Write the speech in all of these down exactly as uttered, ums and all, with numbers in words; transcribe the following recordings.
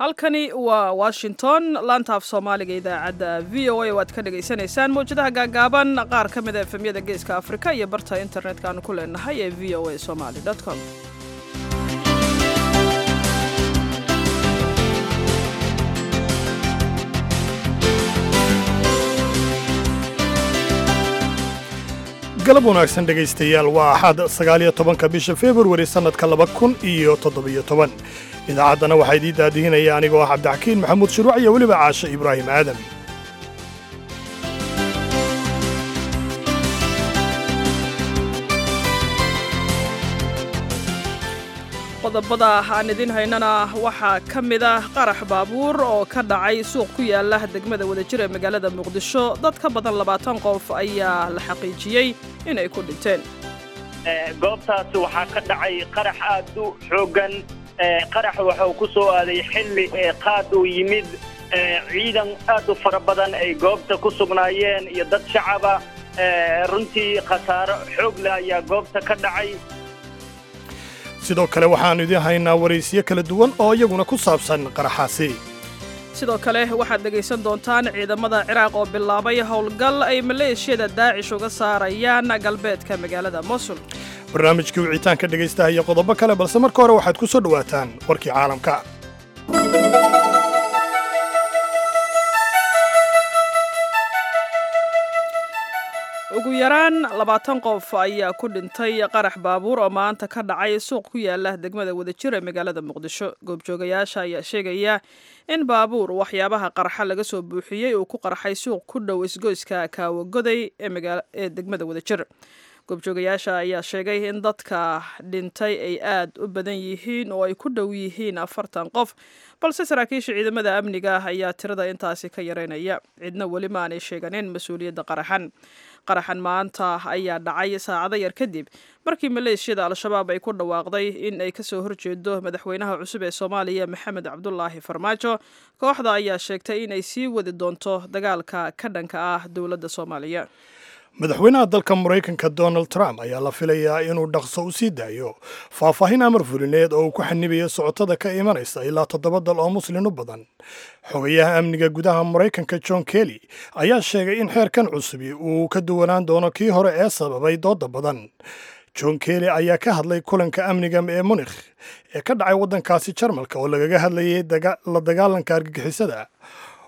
Halkani waa Washington, laanta af Soomaaliga, idaacadda V O A oo aad ka dhagaysanaysaan mawjadaha gaagaaban, qaar ka mid a F M-yada Geeska Afrika iyo barta internetka aanu ku leenahay ee V O A Somali com. Galab wanaagsan, dhegaystayaal. Waa Axad, sagaaliyo tobanka bisha Februari, sannadka laba kun iyo toddobiyo toban. Idaacaddana waxaa idiin daadihinaya anigoo ah Cabdixakiin Maxamuud Shuruuc iyo weliba Caashe Ibraahim Aadam. Qodobada aan idin haynana waxaa ka mid ah qarax baabuur oo ka dhacay suuq ku yaala degmada Wadajir ee magaalada Muqdisho. Dad ka badan labaatan qof ayaa la xaqiijiyey inay ku dhinteen. Goobtaasi waxaa ka dhacay qarax aad u xooggan. Qarax waxuu ku soo aaday xilli qaad uu yimid, ciidan aad u fara badan ay goobta ku sugnaayeen iyo dad shacaba. Runtii khasaaro xoog leh ayaa goobta ka dhacay. Sidoo kale waxaannu idiin haynaa waraysiyo kala duwan oo iyaguna ku saabsan qaraxaasi. Sidoo kale waxaad dhegaysan doontaan ciidamada Ciraaq oo bilaabay howlgal ay maleeshiyada Daacish uga saarayaan galbeedka magaalada Mosul. Barnaamijkii wicitaanka dhegaystaha iyo qodobo kale, balse marka hore waxaad ku soo dhowaataan warkii caalamka. Ugu yaraan labaatan qof ayaa ku dhintay qarax baabuur oo maanta ka dhacay suuq ku yaala degmada Wadajir ee magaalada Muqdisho. Goobjoogayaasha ayaa sheegaya in baabuur waxyaabaha qarxa laga soo buuxiyey uu ku qarxay suuq ku dhow isgoyska Kaawagoday ee degmada Wadajir. Goobjoogayaasha ayaa sheegay in dadka dhintay ay aad u badan yihiin oo ay ku dhow yihiin afartan qof, balse saraakiisha ciidamada amniga ayaa tirada intaasi ka yareynaya. Cidna weli ma aanay sheeganin mas-uuliyadda qaraxan. Qaraxan maanta ayaa dhacay saacado yar kadib markii maleeshiyada Al-Shabaab ay ku dhawaaqday in ay kasoo horjeedo madaxweynaha cusub ee Soomaaliya, Maxamed Cabdulaahi Farmaajo. Kooxda ayaa sheegtay in ay sii wadi doonto dagaalka ka dhanka ah dowladda Soomaaliya. Madaxweynaha dalka Maraykanka Donald Trump ayaa la filayaa inuu dhaqso u sii daayo faahfaahin amar fulineed oo uu ku xanibayo socotada ka imanaysa ilaa toddoba dal oo muslin u badan. Xogayaha amniga gudaha Maraykanka John Kelly ayaa sheegay in xeerkan cusubi uu ka duwanaan doono kii hore ee sababay dooda badan. John Kelly ayaa ka hadlay kulanka amniga ee Munikh ee ka dhacay waddankaasi Jarmalka oo lagaga hadlayay la dagaalanka argagixisada.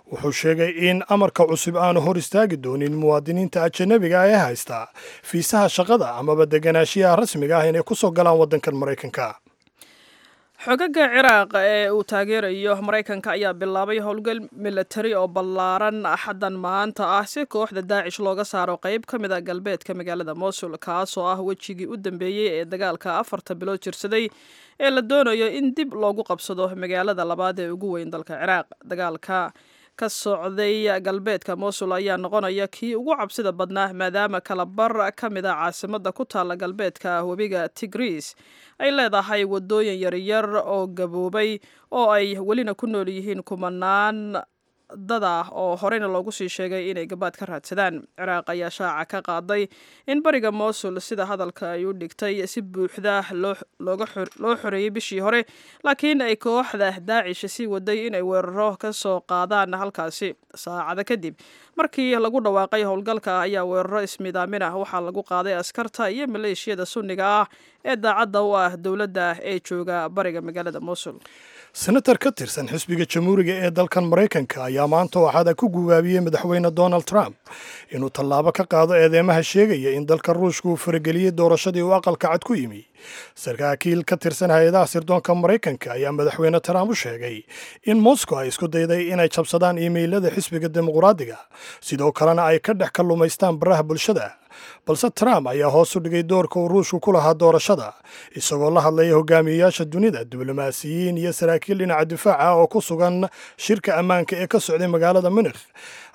Wuxuu sheegay in amarka cusub aanu hor istaagi doonin muwaadiniinta ajanabiga ee haysta fiisaha shaqada amaba deganaashiyaha rasmiga ah inay ku soo galaan waddankan Maraykanka. Xogaga Ciraaq ee uu taageerayo Maraykanka ayaa bilaabay howlgal milatari oo ballaaran Axaddan maanta ah si kooxda Daacish looga saaro qayb ka mid a galbeedka magaalada Mosul, kaasoo ah wejigii u dambeeyey ee dagaalka afarta bilood jirsaday ee la doonayo in dib loogu qabsado magaalada labaad ee ugu weyn dalka Ciraaq. Dagaalka ka socday galbeedka Mosul ayaa noqonaya kii ugu cabsida badnaa, maadaama kalabar ka mid a caasimada ku taalla galbeedka webiga Tigris ay leedahay wadooyin yaryar oo gaboobay oo ay welina ku nool yihiin kumanaan dad ah oo horeyna loogu sii sheegay inay gabaad ka raadsadaan. Ciraaq ayaa shaaca ka qaaday in bariga Mosul, sida hadalka ay u dhigtay, si buuxda loo xoreeyey bishii hore, laakiin ay kooxda Daacish sii waday inay weeraro ka soo qaadaan halkaasi. Saacado kadib markii lagu dhawaaqay howlgalka ayaa weeraro ismidaamin ah waxaa lagu qaaday askarta iyo maleeshiyada Sunniga ah ee daacadda u ah dowladda ee jooga bariga magaalada Mosul. Senatar ka tirsan xisbiga Jamhuuriga ee dalkan Maraykanka ayaa maanta waxaada ku gubaabiyey madaxweyne Donald Trump inuu tallaabo ka qaado eedeymaha sheegaya in dalka Ruushka uu farageliyey doorashadii uu Aqalka Cad ku yimi. Saraakiil ka tirsan hay-adaha sirdoonka Maraykanka ayaa madaxweyne Trump u sheegay in Moscow ay isku dayday inay jabsadaan iimaylada xisbiga Dimuqraadiga, sidoo kalena ay ka dhex kallumaystaan baraha bulshada. Balse Trump ayaa hoos u dhigay doorka uu Ruushku ku lahaa doorashada, isagoo la hadlaya hogaamiyeyaasha dunida, diblomaasiyiin iyo saraakiil dhinaca difaaca oo ku sugan shirka ammaanka ee ka socday magaalada Munikh.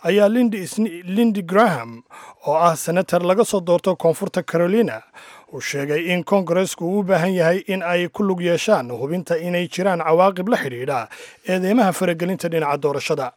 Ayaa Lindsey Graham oo ah senatar laga soo doorto Koonfurta Carolina uu sheegay in Koongareesku uu u baahan yahay in ay ku lug yeeshaan hubinta inay jiraan cawaaqib la xidhiidha eedeymaha faragelinta dhinaca doorashada.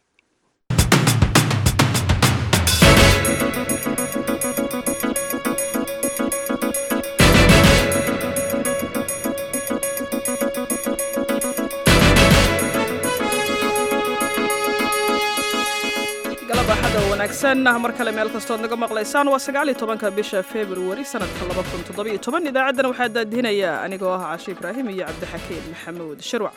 Wanaagsan mar kale meel kastood naga maqlaysaan. Waa sagaal iyo tobanka bisha Februari sanadka laba kun toddobiyo toban. Idaacaddana waxaa daadihinaya anigoo ah Cashe Ibraahim iyo Cabdixakiin Maxamuud Shirwac.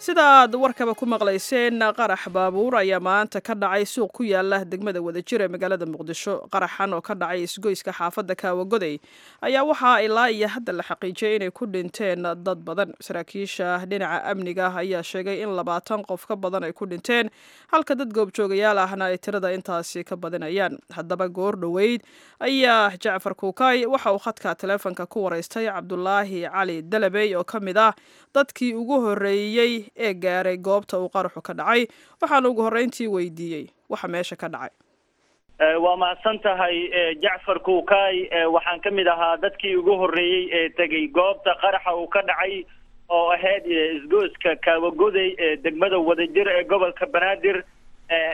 Sida aad warkaba ku maqlayseen, qarax baabuur ayaa maanta ka dhacay suuq ku yaala degmada Wadajir ee magaalada Muqdisho. Qaraxan oo ka dhacay isgoyska xaafadda Kaawagoday ayaa waxaa ilaa iyo hadda la xaqiijiyay inay ku dhinteen dad badan. Saraakiisha dhinaca amniga ayaa sheegay in labaatan qof ka badan ay ku dhinteen, halka dad goobjoogayaal ahna ay tirada intaasi ka badinayaan. Haddaba goor dhoweyd ayaa Jacfar Kuukay waxa uu khadka taleefonka ku waraystay Cabdulaahi Cali Dalabey oo ka mid ah dadkii ugu horreeyey ee gaaray goobta uu qaraxu ka dhacay. Waxaana ugu horreyntii weydiiyey waxa meesha ka dhacay. Waa mahadsan tahay, Jacfar Kuukay. Waxaan ka mid ahaa dadkii ugu horreeyey ee tegey goobta qaraxa uu ka dhacay, oo ahayd isgoyska Kaawagoday ee degmada Wadajir ee gobolka Banaadir.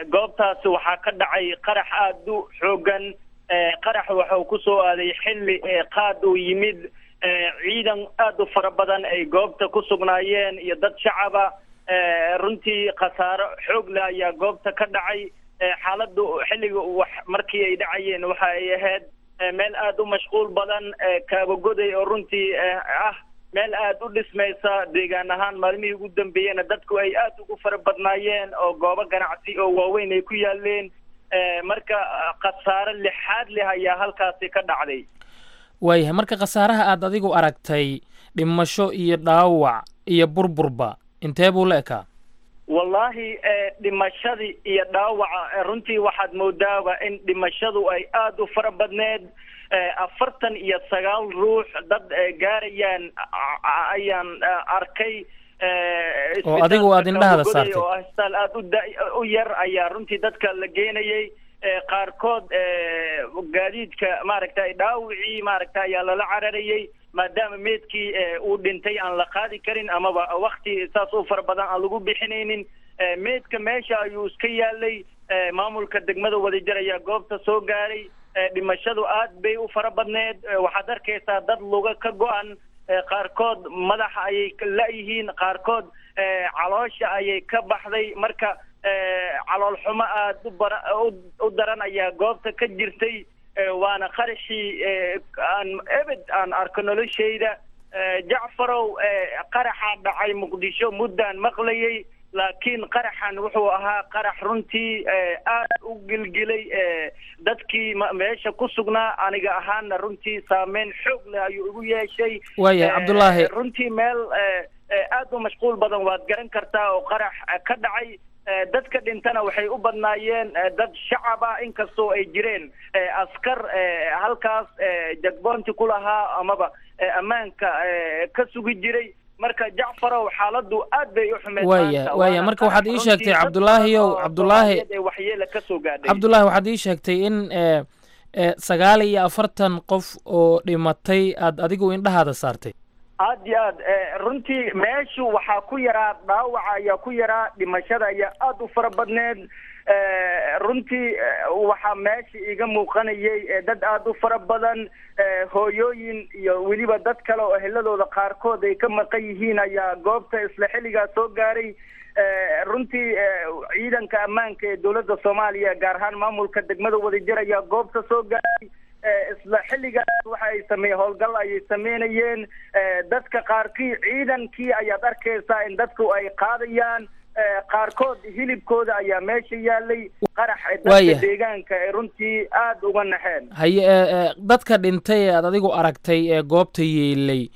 Goobtaasi waxaa ka dhacay qarax aada u xoogan. Qarax waxa uu kusoo aaday xilli qaad uu yimid, ciidan aada u fara badan ay goobta ku sugnaayeen iyo dad shacaba. Runtii khasaaro xoog leh ayaa goobta ka dhacay. Xaaladdu xilliga wax markii ay dhacayeen waxa ay ahayd meel aada u mashquul badan, Kaabagoday oo runtii ah meel aada u dhismaysa deegaan ahaan. Maalmihii ugu dambeeyena dadku ay aada ugu fara badnaayeen oo goobo ganacsi oo waaweyn ay ku yaaleen. Marka khasaaro lixaad leh ayaa halkaasi ka dhacday. Waayahay, marka khasaaraha aad adigu aragtay, dhimasho iyo dhaawac iyo burburba, intee buu la ekaa? Wallaahi, dhimashadii iyo dhaawaca runtii waxaad moodaaba in dhimashadu ay aada u fara badneed. Afartan iyo sagaal ruux dad gaarayaan ayaan arkay. Oo adigu aad indhahada saartay? Oo isbitaal aada u da- u yar ayaa runtii dadka la geenayay. Qaarkood gaadiidka maaragtay dhaawicii maaragta ayaa lala cararayay, maadaama meedkii uu dhintay aan la qaadi karin amaba wakti saas u fara badan aan lagu bixinaynin. Meedka meesha ayuu iska yaalay. Maamulka degmada Wadajir ayaa goobta soo gaaray. Dhimashadu aad bay u fara badneed. Waxaad arkaysaa dad luga ka go-an, qaarkood madaxa ayay la-yihiin, qaarkood caloosha ayay ka baxday. Marka calool xumo aada u bara u daran ayaa goobta ka jirtay, waana qaraxii aan ebed aan arko noloshayda. Jacfarow, qaraxa dhacay Muqdisho muddaan maqlayay, laakiin qaraxan wuxuu ahaa qarax runtii aad u gilgilay dadkii meesha ku sugnaa. Aniga ahaana runtii saameyn xoog leh ayuu igu yeeshay. Waayahay, Cabdulaahi. Runtii meel aad u mashquul badan waad garan kartaa oo qarax ka dhacay. Dadka dhintana waxay u badnaayeen dad shacab ah, inkastoo ay jireen askar halkaas checkpoint-i ku lahaa amaba ammaanka ka sugi jiray. Marka Jacfarow, xaaladdu aad bay u xumeyd. Waaya waaya marka waxaad ii sheegtay, Cabdulaahiyow, Cabdulaahi, waxyeela ka soo gaadhay. Cabdulaahi, waxaad ii sheegtay in sagaal iyo afartan qof oo dhimatay aad adigu indhahaada saartay. Aad iyo aad. Runtii meeshu waxaa ku yaraa dhaawaca ayaa ku yaraa, dhimashada ayaa aada u fara badneed. Runtii waxaa meesha iga muuqanayay dad aada u fara badan, hooyooyin iyo weliba dad kale oo eheladooda qaarkood ay ka maqan yihiin ayaa goobta isla xilligaa soo gaaray. Runtii ciidanka ammaanka ee dowladda Soomaaliya, gaar ahaan maamulka degmada Wadajir, ayaa goobta soo gaaray isla xilligaas. Waxa ay sameeye howlgal ayay sameynayeen. Dadka qaarkii ciidankii ayaad arkaysaa in dadku ay qaadayaan, qaarkood hilibkooda ayaa meesha yaalay. Qarax dadka deegaanka ay runtii aada uga naxeen. Haye, dadka dhintay ee aad adigu aragtay ee goobta yeelay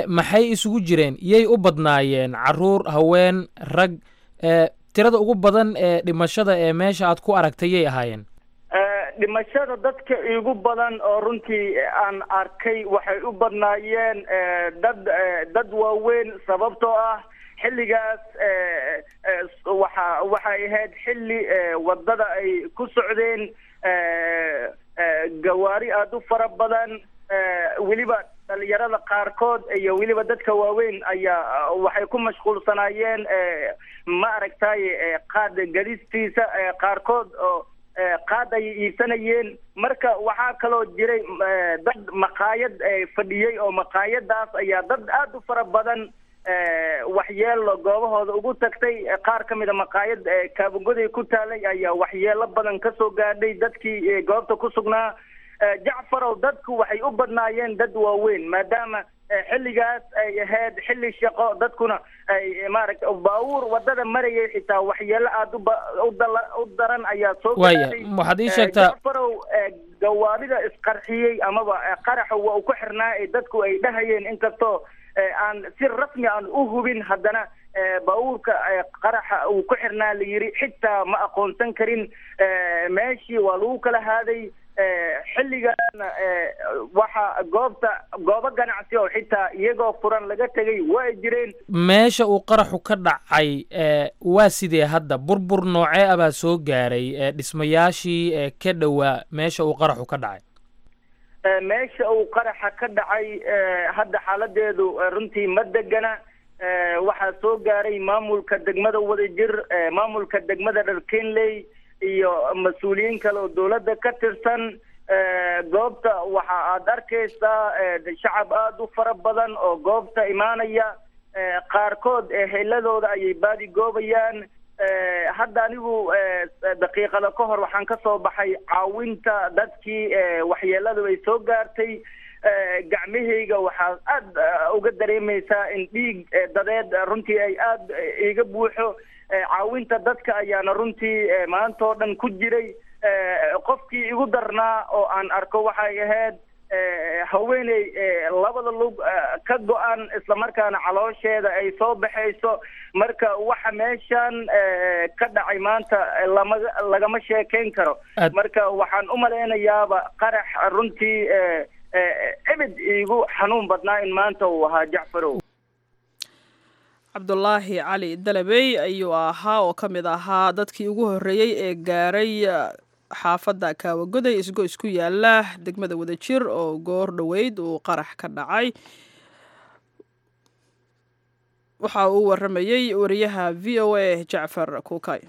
maxay isugu jireen? Yay u badnaayeen? Caruur, haween, rag? Tirada ugu badan ee dhimashada ee meesha aad ku aragtay yay ahaayeen? Dhimashada dadka igu badan oo runtii aan arkay waxay u badnaayeen dad dad waaweyn, sababtoo ah xilligaas waxa waxay ahayd xilli wadada ay ku socdeen gawaari aada u fara badan. Weliba dhalinyarada qaarkood iyo weliba dadka waaweyn ayaa waxay ku mashquulsanaayeen ma aragtay qaad gadistiisa, qaarkood oo qaad ayay iibsanayeen. Marka waxaa kaloo jiray dad maqaayad fadhiyey, oo maqaayadaas ayaa dad aada u fara badan Waxyeelo goobahooda ugu tagtay. Qaar ka mid a maqaayad Kaabagoday ku taalay ayaa waxyeelo badan kasoo gaadhay dadkii goobta ku sugnaa. Jacfarow, dadku waxay u badnaayeen dad waaweyn, maadaama xilligaas ay ahayd xilli shaqo, dadkuna ay maaragta baabuur wadada marayay xitaa waxyeelo aada uba u daran ayaa soo Waaya, waxaad ii sheegtaa Jacfarow, gawaarida isqarxiyey amaba qaraxa waa uu ku xirnaa ee dadku ay dhahayeen, inkastoo aan si rasmi aan u hubin, haddana baabuurka qaraxa uu ku xirnaa la yiri xitaa ma aqoonsan karin. Meeshii waa lagu kala haaday. Xilligaasna waxa goobta goobo ganacsi oo xitaa iyagoo furan laga tegay waa jireen. Meesha uu qaraxu ka dhacay waa sidee hadda? Burbur noocee ah baa soo gaaray dhismayaashii ka dhowaa meesha uu qaraxu ka dhacay? Meesha uu qaraxa ka dhacay hadda xaaladeedu runtii ma degana. Waxaa soo gaaray maamulka degmada Wadajir, maamulka degmada Dharkenley iyo mas-uuliyiin kale oo dowladda ka tirsan. Goobta waxa aad arkaysaa shacab aada u fara badan oo goobta imaanaya, qaarkood heladooda ayay baadi goobayaan. Hadda anigu daqiiqada ka hor waxaan ka soo baxay caawinta dadkii waxyeeladu ay soo gaartay. Gacmahayga waxaa aada uga dareemaysaa in dhiig dadeed runtii ay aada iga buuxo. Caawinta dadka ayaana runtii maanta oo dhan ku jiray. Qofkii igu darnaa oo aan arko waxay ahayd haweeney labada lug ka go-an, islamarkaana caloosheeda ay soo baxayso. Marka waxa meeshan ka dhacay maanta lama lagama sheekeyn karo. Marka waxaan u malaynayaaba qarax runtii ebed iigu xanuun badnaa in maanta uu ahaa, Jacfarow. Cabdulaahi Cali Dalabey ayuu ahaa oo ka mid ahaa dadkii ugu horreeyey ee gaaray xaafadda Kaawagoday, isgo isku yaala degmada Wadajir, oo goor dhoweyd uu qarax ka dhacay. Waxa uu waramayey wariyaha V O A Jacfar Kuukay.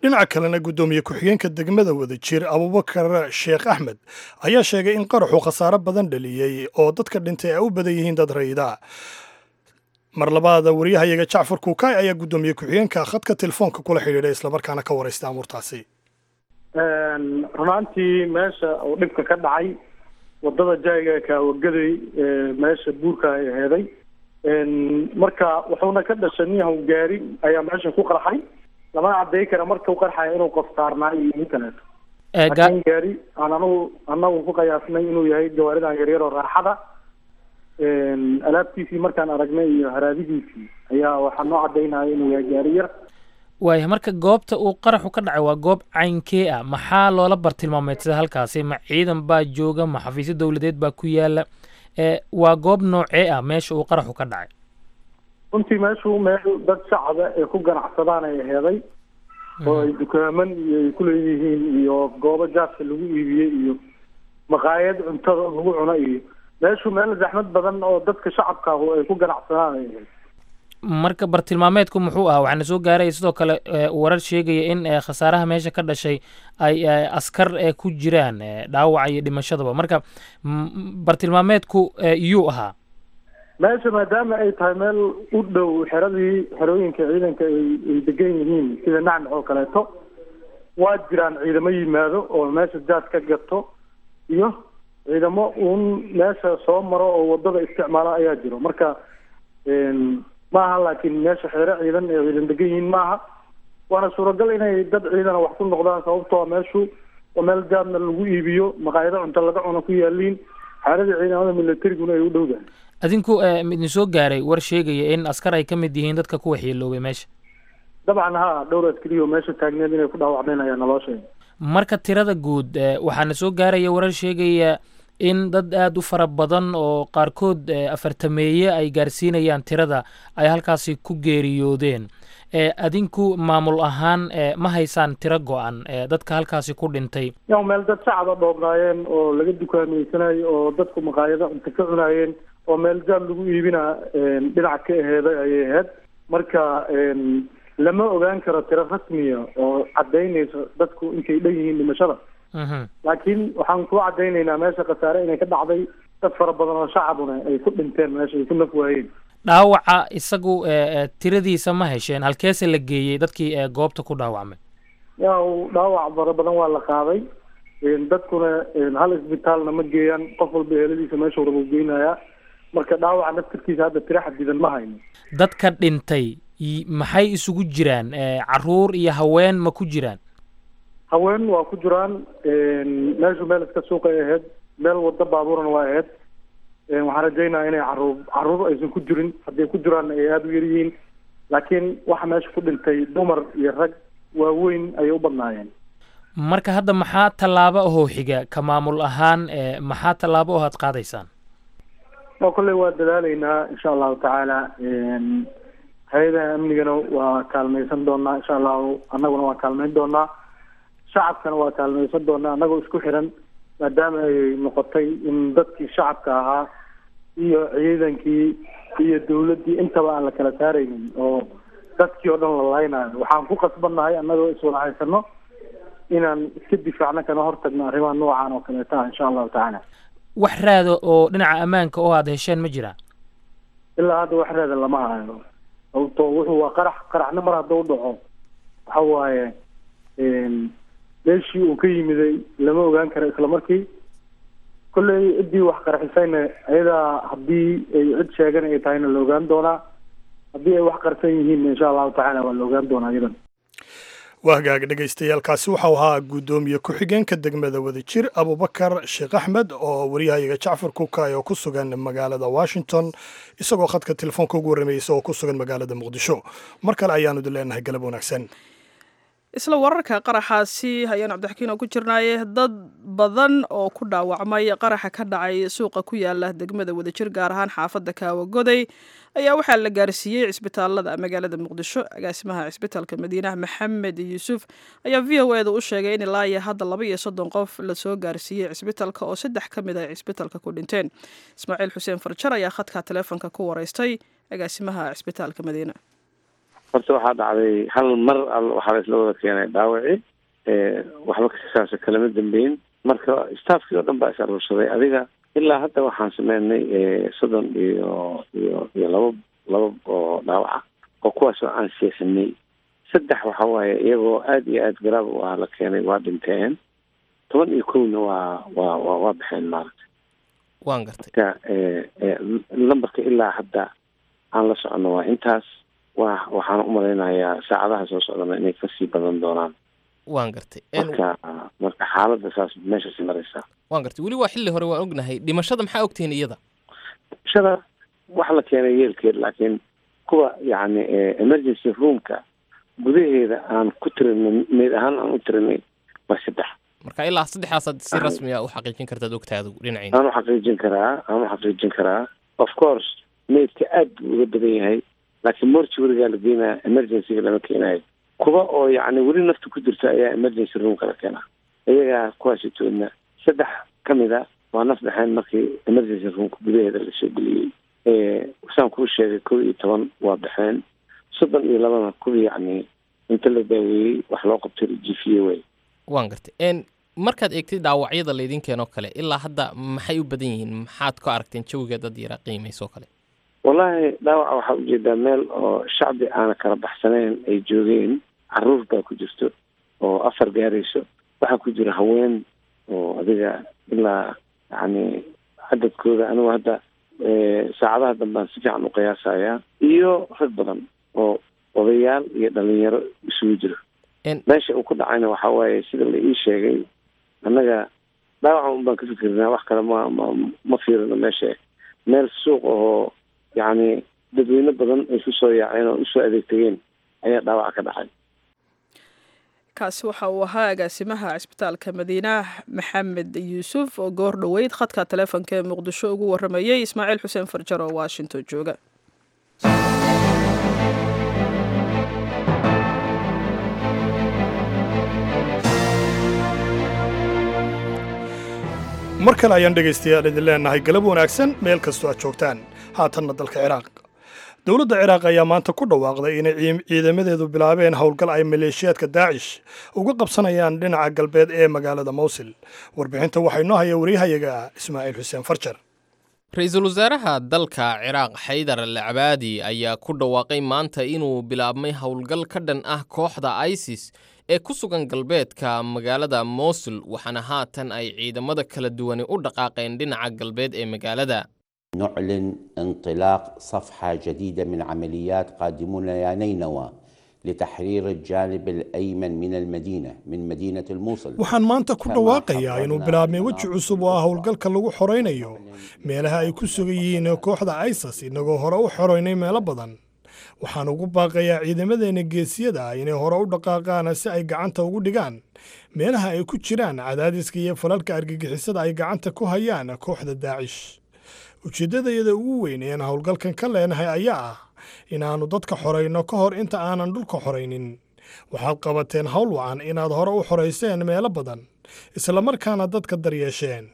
Dhinaca kalena, guddoomiye ku-xigeenka degmada Wadajir Abubakar Sheekh Axmed ayaa sheegay in qaraxu khasaaro badan dhaliyey oo dadka dhintay ay u badan yihiin dad rayida. Mar labaada wariyahayaga Jacfar Kuukay ayaa guddoomiye ku-xigeenka khadka telefoonka kula xidhiidhay, islamarkaana ka waraysta amuurtaasi. Runaantii meesha uu dhibka ka dhacay, wadada jayga Kaawagaday, meesha buurka ay aheeday, marka wuxuuna ka dhashay niyahow gaari ayaa meesha ku qarxay. Lamana cadday kara marka u qarxaya inuu qof saarnaa iyo in kaleeto, laakiin gaari aan anagu anagu ku qiyaasnay inuu yahay gawaaridan yaryar oo raaxada, alaabtiisii markaan aragnay iyo haraadigiisii ayaa waxaa noo cadaynaya inuu yahay gaari yar. Waaya, marka goobta uu qaraxu ka dhacay waa goob caynkee ah? Maxaa loola bartilmaameedsada halkaasi? Ma ciidan baa jooga? Ma xafiisyo dowladeed baa ku yaala? Waa goob noocee ah meesha uu qaraxu ka dhacay? Runtii meeshu meel dad shacaba ay ku ganacsadaan ay aheeday, oo ay dukaaman iyo ay kuleeyihiin iyo goobo jaaska lagu iibiyey iyo maqaayad cuntada lagu cuno, iyo meeshu meel zaxmad badan oo dadka shacabka ahu ay ku ganacsadaan ay ahayd. Marka bartilmaameedku muxuu ahaa? Waxaana soo gaaraya sidoo kale warar sheegaya in khasaaraha meesha ka dhashay ay askar ku jiraan, dhaawaca iyo dhimashadaba. Marka bartilmaameedku yuu ahaa? Meesha maadaama ay tahay meel u dhow xeradii xerooyinka ciidanka ay ay degan yihiin sida Nacnac oo kaleeto, waa jiraan ciidamo yimaado oo meesha jaad ka gato iyo ciidamo uun meesha soo maro oo wadada isticmaala ayaa jiro. Marka maaha, laakiin meesha xeero ciidan ay ciidan degan yihiin maaha, waana suuragal inay dad ciidana wax ku noqdaan, sababtoo meeshu oo meel jaadna lagu iibiyo, maqaayado cunto laga cuno ku yaaliin, xeeradii ciidamada militariguna ay u dhowdahay. Adinku ma idin soo gaaray war sheegaya in askar ay ka mid yihiin dadka ku waxyeeloobay meesha? Dabcan haa, dhowr askari oo meesha taagneed inay ku dhaawacmeen ayaa naloo sheegay. Marka tirada guud, waxaana soo gaaraya warar sheegaya in dad aada u fara badan oo qaarkood afartameeye ay gaarsiinayaan tirada ay halkaasi ku geeriyoodeen. Adinku maamul ahaan ma haysaan tiro go-an dadka halkaasi ku dhintay? Yaw, meel dad shacaba dhoobnaayeen oo laga dukaameysanayo oo dadku maqaayado cunto ka cunaayeen oo meel jaad lagu iibina dhinac ka aheeday ayay ahayd. Marka lama ogaan karo tiro rasmiya oo caddaynayso dadku intay dhan yihiin dhimashada, laakiin waxaan kuu caddaynaynaa meesha khasaare inay ka dhacday, dad fara badan oo shacabuna ay ku dhinteen meesha, ay ku naf waayeen. Dhaawaca isagu tiradiisa ma hesheen? Halkeese la geeyey dadkii goobta ku dhaawacmay? Ya, dhaawac fara badan waa la qaaday. Dadkuna hal isbitaalna ma geeyaan, qof walba eeladiisa meesha raba u geynayaa. Marka dhaawaca naftirkiisa hadda tiro xadidan ma hayno. Dadka dhintay maxay isugu jiraan? Caruur iyo haween ma ku jiraan? Haween waa ku jiraan. Meeshu meel iska suuqay ahayd, meel wado baabuurna waa ahayd. Waxaan rajaynayaa inay caruur caruur aysan ku jirin, hadday ku jiraanna ay aada u yar yihiin, laakiin waxa meesha ku dhintay dumar iyo rag waaweyn ayay u badnaayeen. Marka hadda maxaa tallaabo ahoo xiga ka maamul ahaan? Maxaa tallaabo oo aad qaadaysaan? O kolley waa dadaaleynaa insha allahu tacaala. Hay-adaha amnigana waa kaalmaysan doonaa insha allahu, annaguna waa kaalmayn doonaa, shacabkana waa kaalmaysan doonaa, annagoo isku xiran, maadaama ay noqotay in dadkii shacabka ahaa iyo ciidankii iyo dawladdii intaba aan la kala saaraynin oo dadkii oo dhan la laynayo. Waxaan ku qasbannahay annagoo iswada haysano inaan iska difaacno kana hortagno arrimaha noocan oo kaleeta ah insha allahu tacaala. Wax raada oo dhinaca ammaanka oo aada hesheen ma jiraa? Ilaa hadda wax raada lama hayo, sababto wuxuu waa qarax. Qaraxna mar hadduu dhaco waxa waaye meeshii uu ka yimiday lama ogaan karo isla markii. Kolley ciddii wax qarxisayna ayadaa haddii ay cid sheegan ay tahayna la ogaan doonaa, haddii ay wax qarsan yihiinna insha allahu tacaala waa la ogaan doonaa iyadan. Waa hagaag dhegaystayaal,kaasi waxau ahaa guddoomiye ku-xigeenka degmada Wadajir Abubakar Sheekh Axmed oo wariyahayaga Jacfar Kuukay oo ku sugan magaalada Washington isagoo khadka telefoonka ugu warramayay isagoo ku sugan magaalada Muqdisho. Mar kale ayaanu idin leenahay galab wanaagsan. Isla wararka qaraxaasi ayaan Cabdixakiin oo ku jirnaaye, dad badan oo ku dhaawacmay qaraxa ka dhacay suuqa ku yaala degmada Wadajir, gaar ahaan xaafadda Kaawagoday, ayaa waxaa la gaarsiiyey cisbitaalada magaalada Muqdisho. Agaasimaha cisbitaalka Madiinaha Maxamed Yuusuf ayaa V O E da u sheegay in ilaa iyo hadda laba iyo soddon qof lasoo gaarsiiyey cisbitaalka oo saddex ka mid ah cisbitaalka ku dhinteen. Ismaaciil Xuseen Farjar ayaa khadka teleefonka ku wareystay agaasimaha cisbitaalka Madiina. Horta waxaa dhacday hal mar waxaa la isla wada keenay dhaawaci, waxba kasaasa kalama dambeyn. Marka staffkii oo dhan baa is aruursaday. Adiga ilaa hadda waxaan sameynay soddon iyo iyo iyo laba laba oo dhaawaca oo kuwaasoo aan seexinay. Saddex waxa waaye iyagoo aada iyo aada garaab u ah la keenay, waa dhinteen. Toban iyo kowna waa waa wa waa baxeen maaragtay. Waan gartay. Marka lambarka ilaa hadda aan la socono waa intaas. Wa waxaan umalaynayaa saacadaha soo socdana inay kasii badan doonaan. Waan gartay. Marka marka xaaladda saas meeshaasi maraysaa. Waan gartay. Weli waa xilli hore, waan ognahay. Dhimashada maxaa ogtihiin iyada? Dhimashada waxa la keenay yeelkeed, laakiin kuwa yacni emergency roomka gudaheeda aan ku tirinay meyd ahaan aan u tirinay waa saddex. Marka ilaa saddexdaasaad si rasmi ah u xaqiijin kartaad ogtahay adigu dhinaciina? Aan u xaqiijin karaa, aan u xaqiijin karaa. Of course meydka aad buu uga badan yahay, laakiin mortuarygaa la geenaya, emergencyga lama keenayo. Kuwa oo yacni weli nafta ku jirta ayaa emergency roomka la keenaa. Iyagaa kuwaasitoodna saddex ka mid a waa naf baxeen markii emergency roomka gudaheeda lasoo geliyey. Saan kuu sheegay kow iyo toban waa baxeen, soddon iyo labana kuwa yacni inta la daaweeyey wax loo qabtay la jiifiyey wey. Waan gartay. Markaad eegtay dhaawacyada laydin keenoo kale ilaa hadda maxay u badan yihiin? Maxaad ku aragteen jawiga dad yaraa qiimaysoo kale? Wallahi dhaawaca waxaa ujeedaa meel oo shacbi aana kala baxsanayn ay joogeen. Caruur baa ku jirto oo afar gaarayso, waxaa ku jira haween oo adiga ilaa yacni cadadkooda anigu hadda saacadaha dambaan si fiican u qiyaasayaa, iyo rag badan oo odayaal iyo dhalinyaro isugu jiro. Meesha uu ku dhacayna waxaa waaye sida la ii sheegay, annaga dhaawaca un baan ka fikirnaa, wax kale ma ma ma fiirino. Meesha meel suuq ahoo yacni dadweyne badan ay ku soo yaaceen oo usoo adeegtageen ayaa dhaawaca ka dhacay. Kaasi waxa uu ahaa agaasimaha cisbitaalka Madiina Maxamed Yuusuf oo goor dhoweyd khadka teleefonka ee Muqdisho ugu warramayey Ismaaciil Xuseen Farjar oo Washington jooga. Mar kale ayaan dhegaystayaal idin leenahay galab wanaagsan meel kastoo aad joogtaan. Haatanna dalka Ciraaq. Dowladda Ciraaq ayaa maanta ku dhawaaqday inay ciidamadeedu bilaabeen howlgal ay maleeshiyaadka Daacish uga qabsanayaan dhinaca galbeed ee magaalada Mowsil. Warbixinta waxaa inoo haya wariyahayaga Ismaaciil Xuseen Farjar. Ra-iisul wasaaraha dalka Ciraaq Xaydar al Cabaadi ayaa ku dhawaaqay maanta inuu bilaabmay howlgal ka dhan ah kooxda ISIS ee ku sugan galbeedka magaalada Mosul, waxaana haatan ay ciidamada kala duwani u dhaqaaqeen dhinaca galbeed ee magaalada. نعلن انطلاق صفحة جديدة من عمليات قادمون يا نينوى لتحرير الجانب الأيمن من المدينة، من مدينة الموصل. Waxaan maanta ku dhawaaqayaa inuu bilaabmay weji cusub oo ah howlgalka lagu xoraynayo meelaha ay ku sugan yihiin kooxda ISIS, inagoo hore u xoraynay meelo badan. Waxaan ugu baaqayaa ciidamadeenna geesiyada ah inay hore u dhaqaaqaan si ay gacanta ugu dhigaan meelaha ay ku jiraan cadaadiska iyo falalka argagixisada ay gacanta ku hayaan kooxda Daacish. Ujeeddadayada ugu weyn ean howlgalkan ka leenahay ayaa ah inaannu dadka xorayno ka hor inta aanan dhulka xoraynin. Waxaad qabateen hawl wacan inaad hore u xorayseen meelo badan, islamarkaana dadka daryeesheen.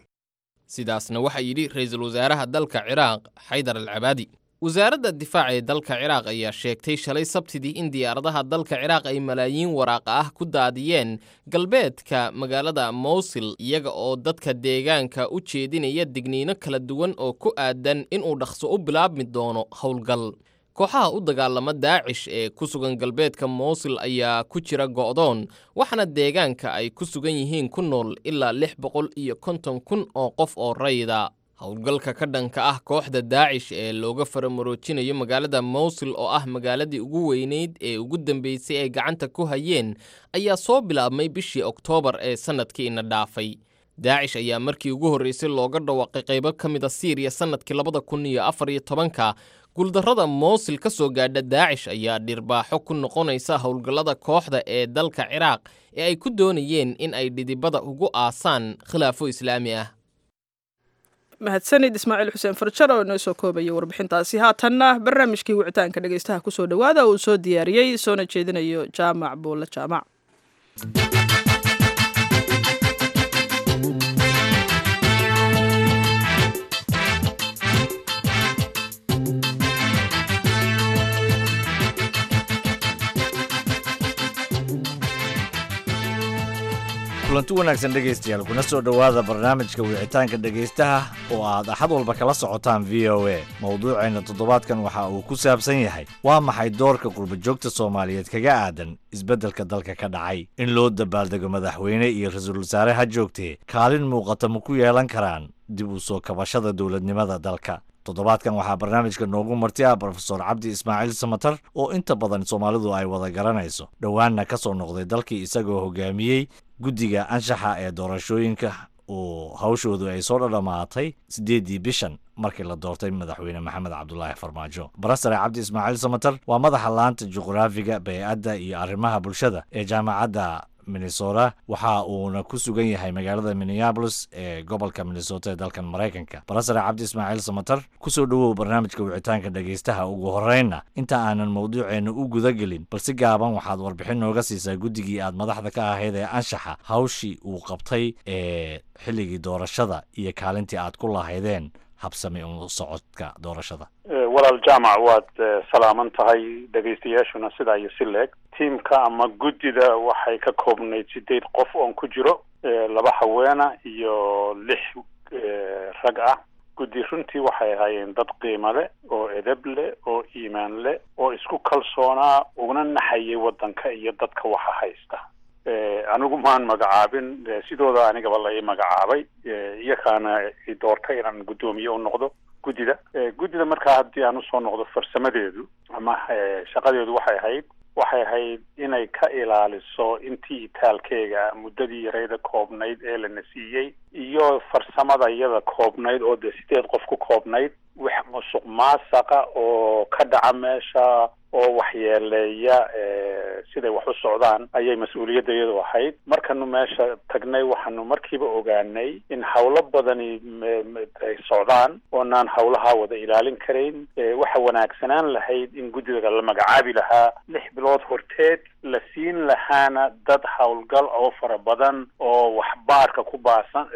Sidaasna waxaa yidhi ra-iisul wasaaraha dalka Ciraaq Xaydar al Cabaadi. Wasaaradda difaaca ee dalka Ciraaq ayaa sheegtay shalay Sabtidii in diyaaradaha dalka Ciraaq ay malaayiin waraaqa ah ku daadiyeen galbeedka magaalada Mowsil, iyaga oo dadka deegaanka u jeedinaya digniino kala duwan oo ku aadan inuu dhaqso u bilaabmi doono howlgal. Kooxaha u dagaalama Daacish ee ku sugan galbeedka Mowsil ayaa ku jira go'doon, waxaana deegaanka ay ku sugan yihiin ku nool ilaa lix boqol iyo konton kun oo qof oo rayida. Howlgalka ka dhanka ah kooxda Daacish ee looga faramaroojinayo magaalada Mowsil, oo ah magaaladii ugu weyneyd ee ugu dambeysay ay gacanta ku hayeen, ayaa soo bilaabmay bishii Oktoobar ee sannadkii ina dhaafay. Daacish ayaa markii ugu horreysay looga dhawaaqay qaybo ka mid a Siiriya sannadkii labada kun iyo afar iyo tobanka. Guuldarrada Mowsil ka soo gaadha Daacish ayaa dhirbaaxo ku noqonaysa howlgallada kooxda ee dalka Ciraaq ee ay ku doonayeen in ay dhidibada ugu aasaan khilaafo islaami ah. Mahadsanid Ismaaciil Xuseen Farjar oo inoo soo koobaya warbixintaasi. Haatanna barnaamijkii wicitaanka dhegeystaha kusoo dhowaada, uu soo diyaariyey soona jeedinayo Jaamac Buulle Jaamac. Kulanti wanaagsan dhegaystayaal, kuna soo dhowaada barnaamijka wicitaanka dhegaystaha oo aad Axad walba kala socotaan V O A. Mowduuceenna toddobaadkan waxa uu ku saabsan yahay: waa maxay doorka qurbajoogta Soomaaliyeed kaga aadan isbeddelka dalka ka dhacay? In loo dabaaldego madaxweyne iyo ra-iisul wasaare ha joogtee, kaalin muuqata ma ku yeelan karaan dib u soo kabashada dowladnimada dalka? Toddobaadkan waxaa barnaamijka noogu marti ah Brofesor Cabdi Ismaaciil Samatar, oo inta badan Soomaalidu ay wada garanayso, dhowaanna ka soo noqday dalkii isagoo hogaamiyey guddiga anshaxa ee doorashooyinka oo hawshoodu ay soo dhadhamaatay siddeeddii bishan markii la doortay Madaxweyne Maxamed Cabdulaahi Farmaajo. Barasare Cabdi Ismaaciil Samatar waa madaxa laanta juqraafiga, bay'adda iyo arrimaha bulshada ee Jaamacadda Minnesota, waxa uuna ku sugan yahay magaalada Minneapolis ee gobolka Minnesota ee dalkan Maraykanka. Barasare Cabdi Ismaaciil Samatar, kusoo dhowow barnaamijka wicitaanka dhegaystaha. Ugu horreynna, inta aanan mowduuceenna u guda gelin, bal si gaaban waxaad warbixin nooga siisaa guddigii aad madaxda ka ahayd ee anshaxa, hawshii uu qabtay ee xilligii doorashada iyo kaalintii aad ku lahaydeen habsami u socodka doorashada. Walaal Jaamac, waad salaaman tahay, dhegaystayaashuna sidaa iyo si leeg. Tiimka ama guddida waxay ka koobnayd sideed qof oon ku jiro, laba haweena iyo lix rag ah. Guddi runtii waxay ahaayeen dad qiimo leh oo edeb leh oo iimaan leh oo isku kalsoonaa, uguna naxayay waddanka iyo dadka waxa haysta. Anigu maan magacaabin, sidooda anigaba la ii magacaabay, iyakaana i doortay inaan guddoomiye u noqdo guddida. Guddida markaa haddii aan usoo noqdo, farsamadeedu ama shaqadeedu waxay ahayd waxay ahayd inay ka ilaaliso intii itaalkeega muddadii yarayda koobnayd ee lana siiyey iyo farsamada iyada koobnayd oo dee sideed qof ku koobnayd, wax musuq maasaqa oo ka dhaca meesha oo waxyeeleeya siday wax u socdaan ayay mas-uuliyadda iyadu ahayd. Markanu meesha tagnay, waxaanu markiiba ogaanay in hawlo badani ay socdaan oonaan hawlaha wada ilaalin karayn. Waxa wanaagsanaan lahayd in guddiga la magacaabi lahaa lix bilood horteed, la siin lahaana dad howlgal oo fara badan oo wax baarka ku baasan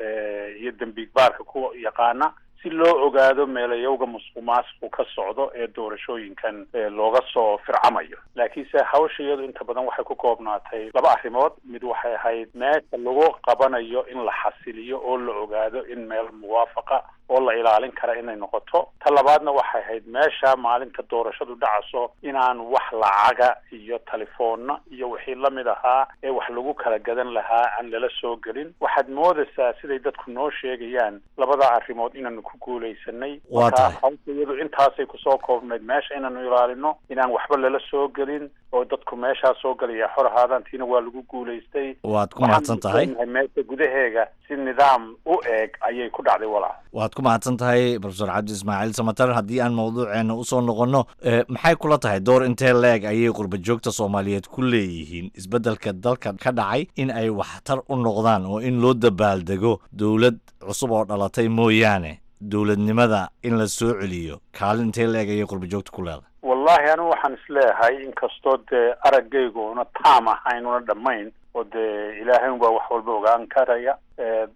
iyo dembi baarka ku yaqaana, si loo ogaado meelayowga musuq maasuqu ka socdo ee doorashooyinkan looga soo fircamayo. Laakiinse hawsha iyadu inta badan waxay ku koobnaatay laba arrimood. Mid waxay ahayd meesha lagu qabanayo in la xasiliyo oo la ogaado in meel muwaafaqa oo la ilaalin kara inay noqoto. Ta labaadna waxay ahayd meesha maalinta doorashadu dhacaso inaan wax lacaga iyo telefoonna iyo wixii lamid ahaa ee wax lagu kala gadan lahaa aan lala soo gelin. Waxaad moodaysaa siday dadku noo sheegayaan labada arrimood inaanu ku guulaysanay. Waa tahay. Hawsha iyadu intaasay kusoo koobnayd, meesha inaanu ilaalino, inaan waxba lala soo gelin oo dadku meeshaa soo gelaya xor ahaadaan, tiina waa lagu guulaystay. Waad ku mahadsan tahay. Meesha gudaheega si nidaam u eeg ayay ku dhacday walaal. Waad ku mahadsan tahay Professor Cabdi Ismaaciil Samatar. Haddii aan mawduuceena usoo noqonno, maxay kula tahay door intee leeg ayay qurba joogta Soomaaliyeed ku leeyihiin isbeddelka dalka ka dhacay in ay waxtar u noqdaan oo in loo dabaaldego dowlad cusub oo dhalatay mooyaane dowladnimada in la soo celiyo, kaalin intee leeg ayay qurba joogta ku leedahay? Wallahi anigu waxaan isleeyahay, inkastoo dee araggaygu una taam ahayn una dhammayn oo dee Ilaahay unbaa wax walba ogaan karaya,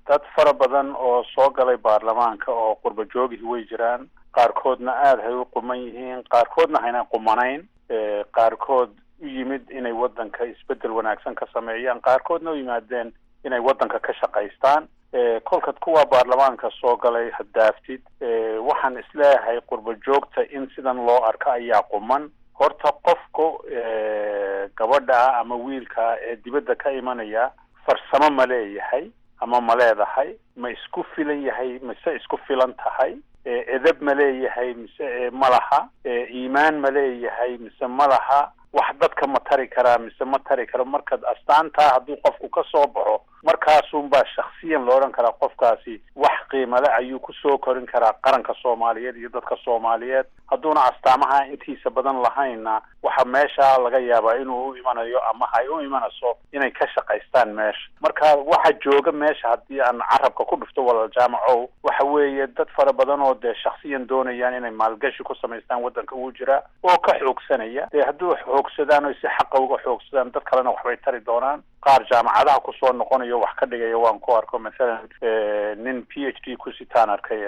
dad fara badan oo soo galay baarlamaanka oo qurba joogihii way jiraan. Qaarkoodna aada hay u quman yihiin, qaarkoodna hayna qumanayn, qaarkood u yimid inay waddanka isbeddel wanaagsan ka sameeyaan, qaarkoodna u yimaadeen inay waddanka ka shaqaystaan. Kolkaad kuwa baarlamaanka soo galay haddaaftid, waxaan isleeyahay qurba joogta in sidan loo arko ayaa quman. Horta qofku gabadha ama wiilka ee dibadda ka imanaya farsamo ma leeyahay ama ma leedahay, ma isku filan yahay mise isku filan tahay, edeb ma leeyahay mise ma laha, iimaan ma leeyahay mise ma laha, wax dadka ma tari karaa mise ma tari karo. Markaad astaantaa hadduu qofku ka soo baxo, markaasunbaa shaksiyan loo odhan karaa qofkaasi wax qiimale ayuu kusoo korin karaa qaranka Soomaaliyeed iyo dadka Soomaaliyeed. Hadduuna astaamaha intiisa badan lahaynna, waxa meesha laga yaabaa inuu u imanayo ama hay u imanayso inay ka shaqaystaan meesha. Marka waxa jooga meesha, haddii aan carabka ku dhufto walaal Jaamacow, waxa weeye dad fara badan oo dee shaksiyan doonayaan inay maalgashi ku samaystaan waddanka uu jiraa oo ka xoogsanaya. Dee hadduu xoogsadaan oo si xaqa uga xoogsadaan, dad kalena waxbay tari doonaan. Qaar jaamacadaha kusoo noqonayo wax ka dhigaya waan ku arko, mathalan nin P H D ku sitaan arkay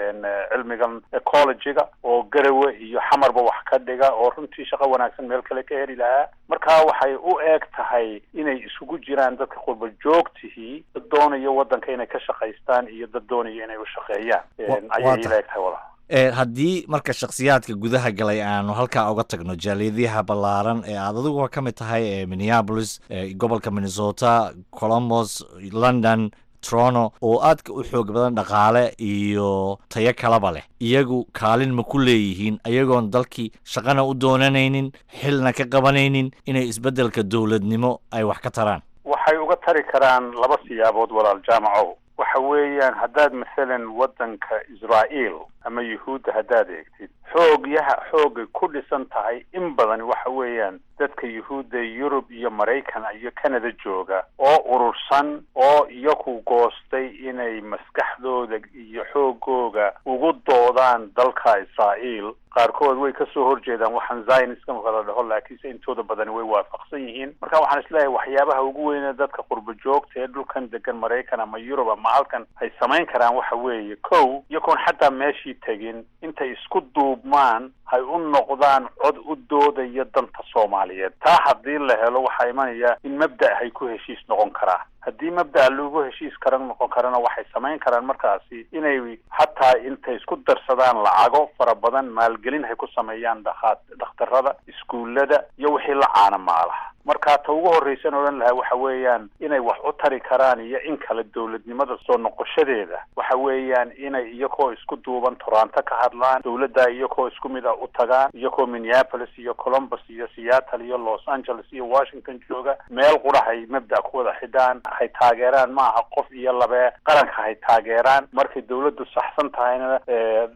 cilmigan ecology-ga oo Garawe iyo Xamarba wax ka dhiga oo runtii shaqo wanaagsan meel kale ka heli lahaa. Marka waxay u eeg tahay inay isugu jiraan dadka qurba joogtihii dad doonayo waddanka inay ka shaqaystaan iyo dad doonayo inay u shaqeeyaan ayay ila eg tahay walaal. Haddii marka shakhsiyaadka gudaha galay aanu halkaa uga tagno, jaaliyadaha ballaaran ee aad adiguba ka mid tahay ee Minneapolis, gobolka Minnesota, Columbus, London, Toronto oo aadka u xoog badan dhaqaale iyo tayo kalaba leh, iyagu kaalin ma ku leeyihiin ayagoon dalkii shaqana u doonanaynin xilna ka qabanaynin inay isbeddelka dowladnimo ay wax ka taraan? Waxay uga tari karaan laba siyaabood walaal Jaamacow. Waxa weeyaan haddaad mathalan waddanka Israa'iil ama Yuhuudda haddaad eegtid, xoogyaha xoogay ku dhisan tahay in badan waxa weeyaan dadka Yuhuudda Yurub iyo Maraykan iyo Canada jooga oo urursan oo iyaku goostay inay maskaxdooda iyo xoogooga ugu doodaan dalka Israa'iil. Qaarkood way kasoo horjeedaan waxaan Zionistka marka la dhaho, laakiinse intooda badani way waafaqsan yihiin. Marka waxaan isleeyahay waxyaabaha ugu weyne dadka qurba joogta ee dhulkan degan, Maraykan ama Yurub ama halkan, ay samayn karaan waxa weeye, kow, iyagoon xataa meeshii tegin, intay isku duubmaan hay u noqdaan cod u doodaya danta Soomaaliyeed. Taa haddii la helo, waxaa imanaya in mabda' hay ku heshiis noqon karaa. Haddii mabda'a lagu heshiis karan noqon karana, waxay samayn karaan markaasi inay xataa intay isku darsadaan lacago fara badan maalgelin hay ku sameeyaan dhakhaa dhakhtarada, iskuullada iyo wixii la caana maalaha. Marka ta ugu horraysan odhan lahaa waxa weeyaan inay wax u tari karaan iyo in kale dowladnimada soo noqoshadeeda waxa weeyaan inay iyagoo isku duuban Toronto ka hadlaan dowladda, iyagoo isku mid ah u tagaan, iyagoo Minneapolis iyo Columbus iyo Seattle iyo Los Angeles iyo Washington jooga meel qura hay mabda' ku wada xidhaan, hay taageeraan, maaha qof iyo labee, qaranka hay taageeraan. Markay dowladdu saxsan tahayna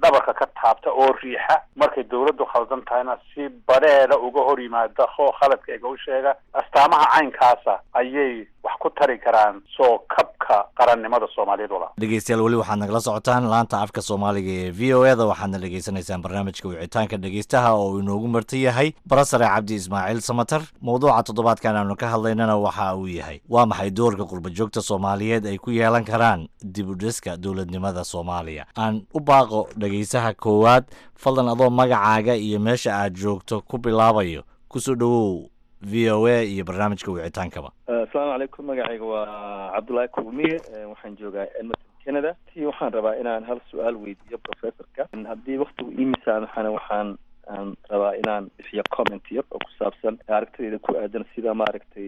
dhabarka ka taabta oo riixa, markay dowladdu khaldan tahayna si badheeda uga hor yimaada oo khaladka ega u sheega. Astaamaha caynkaasa ayay wax ku tari karaan soo kabka qarannimada Soomaaliyeed walaa. Dhegeystayaal, weli waxaad nagala socotaan laanta afka Soomaaliga ee V O E da. Waxaadna dhegeysanaysaan barnaamijka wicitaanka dhegeystaha oo uu inoogu marti yahay barasare Cabdi Ismaaciil Samatar. Mowduuca toddobaadkan aanu ka hadlaynana waxa uu yahay, waa maxay doorka qurba joogta Soomaaliyeed ay ku yeelan karaan dib u dhiska dowladnimada Soomaaliya? Aan u baaqo dhegeysaha koowaad. Fadlan, adoo magacaaga iyo meesha aad joogto ku bilaabayo, kusoo dhowow V O A iyo barnaamijka wicitaankaba. Asalaamu calaykum. Magacayga waa Cabdullaahi Kulmiye, waxaan joogaa Edmonton, Canada. Ti waxaan rabaa inaan hal su-aal weydiiyo professorka. Haddii waktigu ii misaamaxana, waxaan aan rabaa inaan bixiyo comment yar oo ku saabsan aragtidayda ku aadan sida maaragtay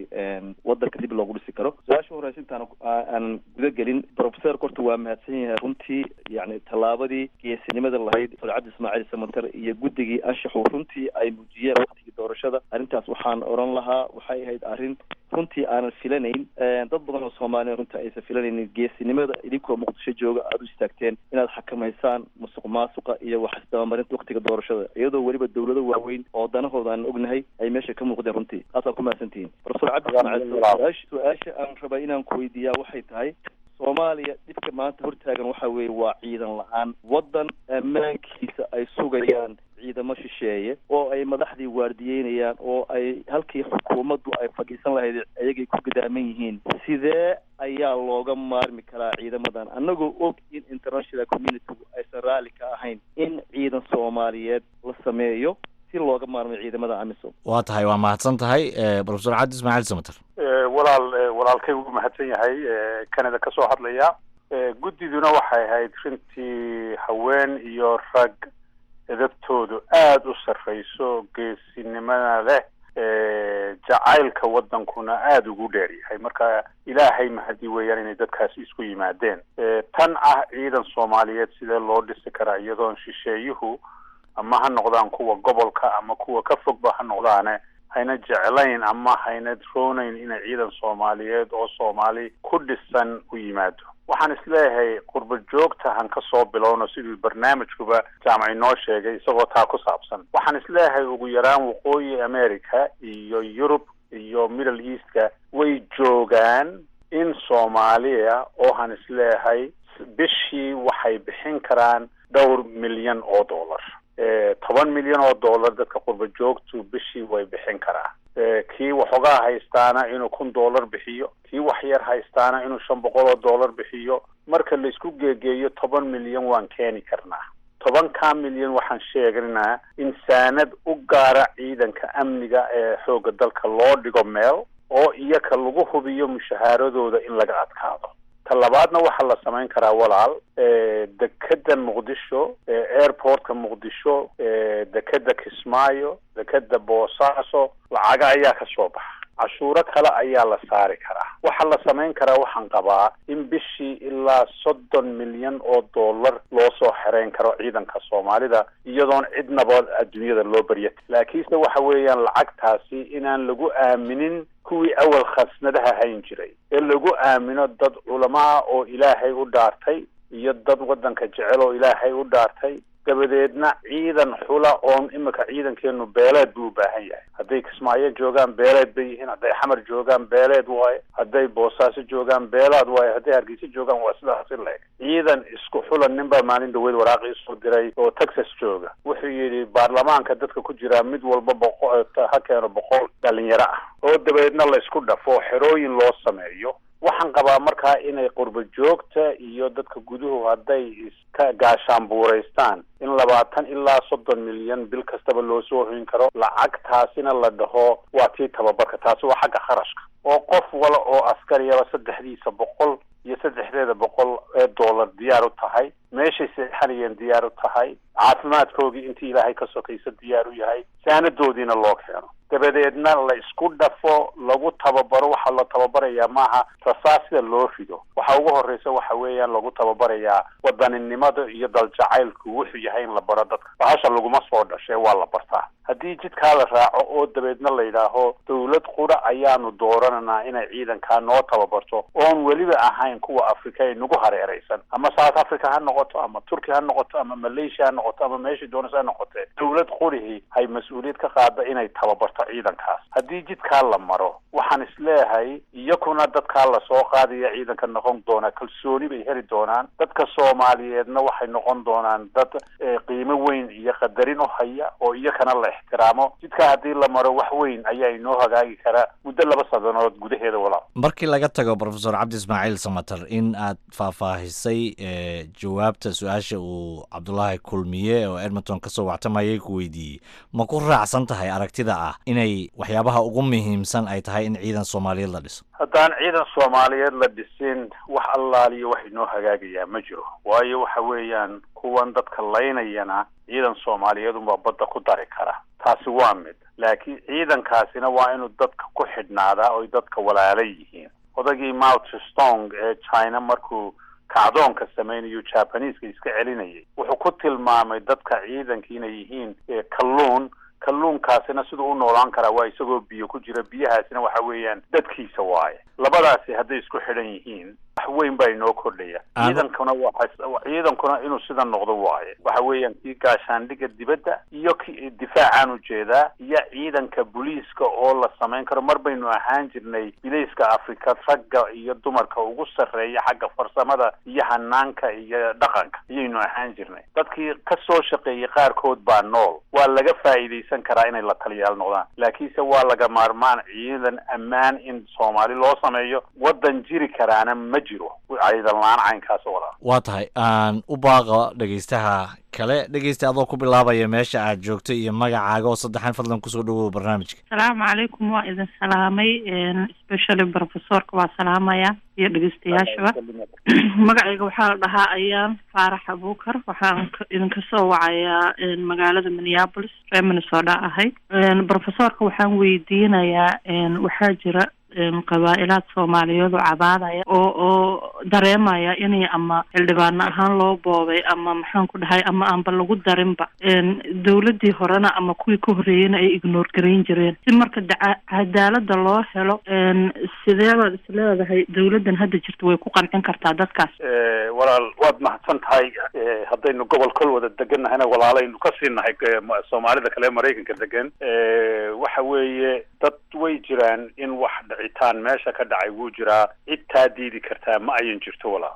wadanka dib loogu dhisi karo. Su-aasha horeysa intaan aanan guda gelin, professorka horta waa mahadsan yahay runtii. Yani tallaabadii geesinimada lahayd Doctor Cabdi Ismaaciil Samatar iyo guddigii anshaxu runtii ay muujiyeen waktigii doorashada, arrintaas waxaan oran lahaa waxay ahayd arrin runtii aanan filanayn, dad badan oo Soomaaliya runtii aysan filanaynin. Geesinimada idinkoo Muqdisho jooga aada u istaagteen inaad xakamaysaan musuq maasuqa iyo wax isdabamarinta waktiga doorashada, iyadoo weliba dawlado waaweyn oo danahooda aan ognahay ay meesha ka muuqdeen, runtii taasaa ku mahadsantihiin. Professor Cabdi Ismaaciil, su-aasha aan rabay inaan ku weydiiyaa waxay tahay, Soomaaliya dhibka maanta hortaagan waxa weeye waa ciidan la-aan. Waddan ammaankiisa ay sugayaan ciidamo shisheeye oo ay madaxdii waardiyeynayaan oo ay halkii xukuumaddu ay fadhiisan lahayd ayagay ku gadaaman yihiin, sidee ayaa looga maarmi karaa ciidamadan, annagoo og in international communitygu aysan raalli ka ahayn in ciidan Soomaaliyeed la sameeyo si looga maarmo ciidamada AMISOM? Waa tahay, waa mahadsan tahay, Professor Cabdi Ismaaciil Samater. Walaal, walaalkay wuu mahadsan yahay, Canada ka soo hadlaya. Guddiduna waxay ahayd runtii haween iyo rag edabtoodu aada u sarreyso, geesinimada leh, jacaylka waddankuna aada ugu dheer yahay. Marka Ilaahay mahadi weeyaan inay dadkaasi isku yimaadeen. Tan ah ciidan Soomaaliyeed sidee loo dhisi karaa iyadoon shisheeyuhu, ama ha noqdaan kuwa gobolka ama kuwa ka fogba ha noqdaane, hayna jeclayn ama hayna roonayn inay ciidan Soomaaliyeed oo Soomaali ku dhisan u yimaado? Waxaan isleeyahay qurba joogta han ka soo bilowno, siduu barnaamijkuba Jaamac inoo sheegay isagoo taa ku saabsan. Waxaan isleeyahay ugu yaraan Waqooyi America iyo Yurub iyo Middle Eastka way joogaan in Soomaaliya oo han isleeyahay bishii waxay bixin karaan dhowr milyan oo dollar, toban milyan oo dollar dadka qurba joogtu bishii way bixin karaa. Kii waxoogaa haystaana inuu kun dollar bixiyo, kii wax yar haystaana inuu shan boqol oo dollar bixiyo, marka laisku geegeeyo toban milyan waan keeni karnaa. Tobankaa milyan waxaan sheegnaa in saanad u gaara ciidanka amniga ee xoogga dalka loo dhigo meel oo iyaka lagu hubiyo mushahaaradooda in laga adkaado. Ta labaadna waxaa la samayn karaa, walaal, dekeda Muqdisho, airportka Muqdisho, dekeda Kismaayo, dekeda Boosaaso, lacaga ayaa ka soo baxa, cashuuro kale ayaa la saari karaa. Waxaa la samayn karaa, waxaan qabaa in bishii ilaa soddon milyan oo dollar loo soo xereyn karo ciidanka Soomaalida iyadoon cidnaba adduunyada loo barya. Laakiinse waxa weeyaan lacagtaasi inaan lagu aaminin kuwii awal khasnadaha hayn jiray, ee lagu aamino dad culamaa oo Ilaahay u dhaartay iyo dad waddanka jecel oo Ilaahay u dhaartay. Dabadeedna ciidan xula oon imika ciidankeenu beeleed buu u baahan yahay. Hadday Kismaayo joogaan beeleed bay yihiin, hadday Xamar joogaan beeleed waaye, hadday Boosaaso joogaan beelaad waaye, hadday Hargeysa joogaan waa sidaasi leeg. Ciidan isku xula. Nin baa maalin dhaweyd waraaqii soo diray oo Texas jooga, wuxuu yidhi baarlamaanka dadka ku jiraa mid walba boqo ha keeno boqol dhalinyaro ah oo dabadeedna la isku dhafo, xerooyin loo sameeyo. Waxaan qabaa markaa inay qurba joogta iyo dadka guduhu hadday iska gaashaanbuuraystaan in labaatan ilaa soddon milyan bil kastaba loo soo hoyn karo, lacagtaasina la dhaho waa tii tababarka. Taasi waa xagga kharashka, oo qof wala oo askariyaba saddexdiisa boqol iyo saddexdeeda boqol ee dollar diyaar u tahay, meeshay seexanayeen diyaar u tahay, caafimaadkoogii intii Ilaahay ka sokaysa diyaar u yahay, saanadoodiina loo keeno, dabadeedna la isku dhafo, lagu tababaro. Waxaa la tababarayaa maaha rasaas sida loo rido, waxa ugu horeysa waxa weeyaan lagu tababarayaa wadaninimada iyo daljacaylku wuxuu yahay in la baro dadka. Bahasha laguma soo dhashay, waa la bartaa. Haddii jidkaa la raaco oo dabeedna la yidhaaho dawlad qura ayaanu doorananaa inay ciidankaa noo tababarto, oon weliba ahayn kuwa Africa ee nagu hareereysan, ama South Africa ha noqoto ama Turkey ha noqoto ama Malaysia ha noqoto ama meeshii doonaysa ha noqotee, dawlad qurihii hay mas-uuliyad ka qaada inay tababarto ciidankaas. Haddii jidkaa la maro, waxaan isleeyahay iyakuna dadkaa lasoo qaadaya ciidanka noqon doonaa kalsooni bay heli doonaan, dadka Soomaaliyeedna waxay noqon doonaan dad qiimo weyn iyo qadarin u haya oo iyakana la ixtiraamo. Jidkaa haddii la maro wax weyn ayaa inoo hagaagi karaa muddo laba sanadood gudaheeda, walaal. Markii laga tago, Professor Cabdi Ismaaciil Samatar, in aad faahfaahisay jawaabta su-aasha uu Cabdulaahi Kulmiye oo Edmonton kasoo wactamayay ku weydiiyey, ma ku raacsan tahay aragtida ah Inay waxyaabaha ugu muhiimsan ay tahay in ciidan Soomaaliyeed la dhiso. Haddaan ciidan Soomaaliyeed la dhisin, wax allaaliyo wax inoo hagaagayaa ma jiro, waayo waxa weeyaan kuwan dadka laynayana ciidan Soomaaliyeed unbaa badda ku dari kara. Taasi waa mid, laakiin ciidankaasina waa inuu dadka ku xidhnaadaa oy dadka walaala yihiin. Odagii Mao Zedong ee China markuu kacdoonka samaynayo Japanese-ka iska celinayay, wuxuu ku tilmaamay dadka ciidanka inay yihiin kalluun. Kalluunkaasina siduu u noolaan karaa waa isagoo biyo ku jira, biyahaasina waxa weeyaan dadkiisa waaye. Labadaasi hadday isku xidhan yihiin, wax weyn baa inoo kordhaya. Ciidankuna waa ciidankuna inuu sida noqdo waaye, waxa weeyaan kii gaashaandhigga dibadda iyo ki difaacaan ujeedaa iyo ciidanka booliiska oo la samayn karo. Mar baynu ahaan jirnay biliiska Afrika ragga iyo dumarka ugu sarreeya xagga farsamada iyo hanaanka iyo dhaqanka iyaynu ahaan jirnay. Dadkii ka soo shaqeeyey qaarkood baa nool, waa laga faa'iidaysan karaa inay la taliyaal noqdaan, laakiinse waa laga maarmaan ciidan ammaan in Soomaali loo sameeyo. Waddan jiri karaana ma jiro ciidan la-aan caynkaas oo walaa. Waa tahay, aan u baaqa dhegeystaha kale. Dhegeysta, adoo ku bilaabaya meesha aad joogto iyo magacaaga oo saddexan, fadlan kusoo dhawow barnaamijka. Asalaamu calaykum, waa idin salaamay, especially professorka waa salaamaya iyo dhegeystayaashaba. Magacayga waxaa la dhahaa Ayaan Faarax Abuukar, waxaan idinka soo wacayaa magaalada Minneapolis, reer Minnesota ahay. Professorka waxaan weydiinayaa, waxaa jira qabaa-ilaad Soomaaliyeed oo cabaadaya oo oo dareemaya inay ama xildhibaano ahaan loo boobay ama maxaan ku dhahay ama aanba lagu darinba dawladdii horena ama kuwii ka horreeyeyna ay ignore garayn jireen. Si marka cadaalada loo helo, sidee baad is leedahay dawladdan hadda jirta way ku qancin kartaa dadkaas? Walaal, waad mahadsan tahay. Haddaynu gobol kol wada degan nahayna, walaalaynu ka sii nahay Soomaalida kale ee Maraykanka degan. Waxa weeye dad way jiraan in wax dhicitaan meesha ka dhacay wuu jiraa, cid taa diidi kartaa ma ayan jirto, walaal.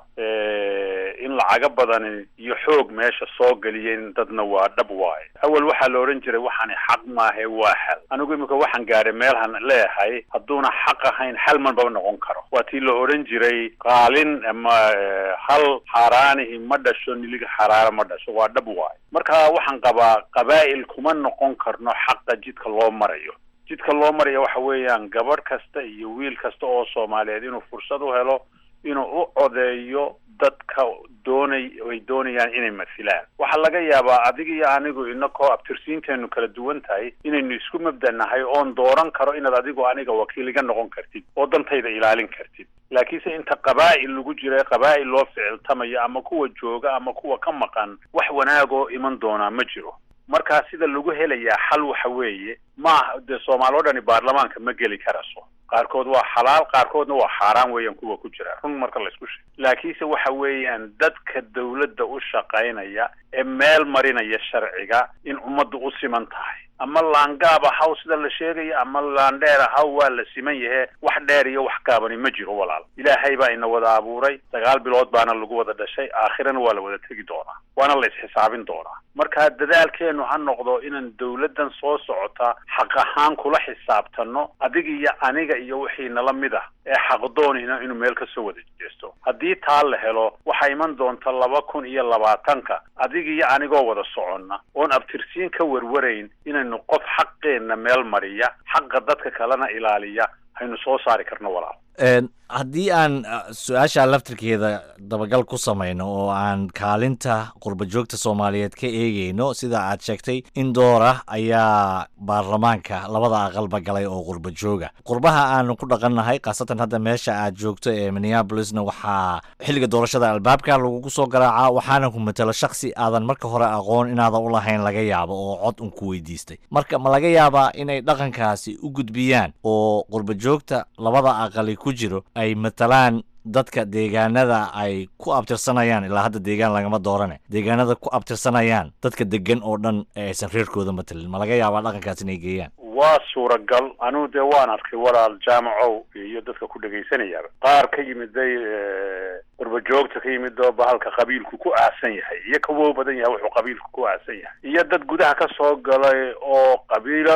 In lacago badani iyo xoog meesha soo geliyeen dadna waa dhab waaye. Awal waxaa la odhan jiray waxaani xaq maahe, waa xal. Anigu imika waxaan gaadhay meelhan leeyahay hadduuna xaq ahayn xal manbaba noqon karo. Waa tii la odhan jiray qaalin ama hal xaaraanihi ma dhasho, niliga xaraara ma dhasho, waa dhab waaye. Marka waxaan qabaa qabaa'il kuma noqon karno xaqa jidka loo marayo. Jidka loo marayo waxa weeyaan gabadh kasta iyo wiil kasta oo Soomaaliyeed inuu fursad u helo inuu u codeeyo dadka doonay ay doonayaan inay masilaan. Waxaa laga yaabaa adiga iyo anigu inakoo abtirsiinteenu kala duwan tahay inaynu isku mabdanahay oon dooran karo inaad adigu aniga wakiil iga noqon kartid oo dantayda ilaalin kartid. Laakiinse inta qabaa'il lagu jira, qabaa'il loo ficiltamayo ama kuwa jooga ama kuwa ka maqan, wax wanaagoo iman doonaa ma jiro. Markaa sida lagu helayaa xal waxa weeye, maaha dee Soomaali o dhani baarlamaanka ma geli karaso. Qaarkood waa xalaal, qaarkoodna waa xaaraan weeyaan kuwa ku jira, run marka laysku sheego. Laakiinse waxa weeyaan dadka dawladda u shaqaynaya ee meel marinaya sharciga in ummaddu u siman tahay, ama laangaab ahaw sida la sheegaya ama laandheer ahaw, waa la siman yahe. Wax dheer iyo wax gaabani ma jiro, walaal. Ilaahay baa ina wada abuuray, sagaal bilood baana lagu wada dhashay, aakhirana waa la wada tegi doonaa, waana la isxisaabin doonaa. Marka dadaalkeenu ha noqdo inaan dawladdan soo socota xaq ahaan kula xisaabtano, adiga iyo aniga iyo wixii nala mid ah ee xaqdoonina inuu meel ka soo wada jeesto. Haddii taa la helo, waxaa iman doonta laba kun iyo labaatanka adiga iyo anigoo wada soconna oon abtirsiin ka warwarayn inaynu qof xaqeenna meel mariya, xaqa dadka kalena ilaaliya haynu soo saari karno, walaal. Haddii aan su-aasha laftirkeeda dabagal ku samayno oo aan kaalinta qurba joogta Soomaaliyeed ka eegeyno, sida aad sheegtay in door ah ayaa baarlamaanka labada aqalba galay oo qurba jooga qurbaha aanu ku dhaqannahay, khaasatan hadda meesha aad joogto ee Minneapolisna, waxaa xilliga doorashada albaabka lagugu soo garaacaa, waxaana ku matalo shaksi aadan marka hore aqoon inaadan u lahayn laga yaabo oo cod un ku weydiistay. Marka ma laga yaabaa inay dhaqankaasi u gudbiyaan oo qurba joogta labada aqali ku jiro ay matalaan dadka deegaanada ay ku abtirsanayaan? Ilaa hadda deegaan lagama doorane, deegaanada ku abtirsanayaan dadka degan oo dhan ee aysan reerkooda matalin, ma laga yaabaa dhaqankaas inay geeyaan? Waa suuragal. Anugu dee waan arkay, walaal Jaamacow iyo dadka ku dhegaysanayaaba, qaar ka yimiday qurba joogta ka yimid oo bahalka qabiilku ku aasan yahay iyo kawow badan yahay wuxuu qabiilku ku aasan yahay, iyo dad gudaha ka soo galay oo qabiilo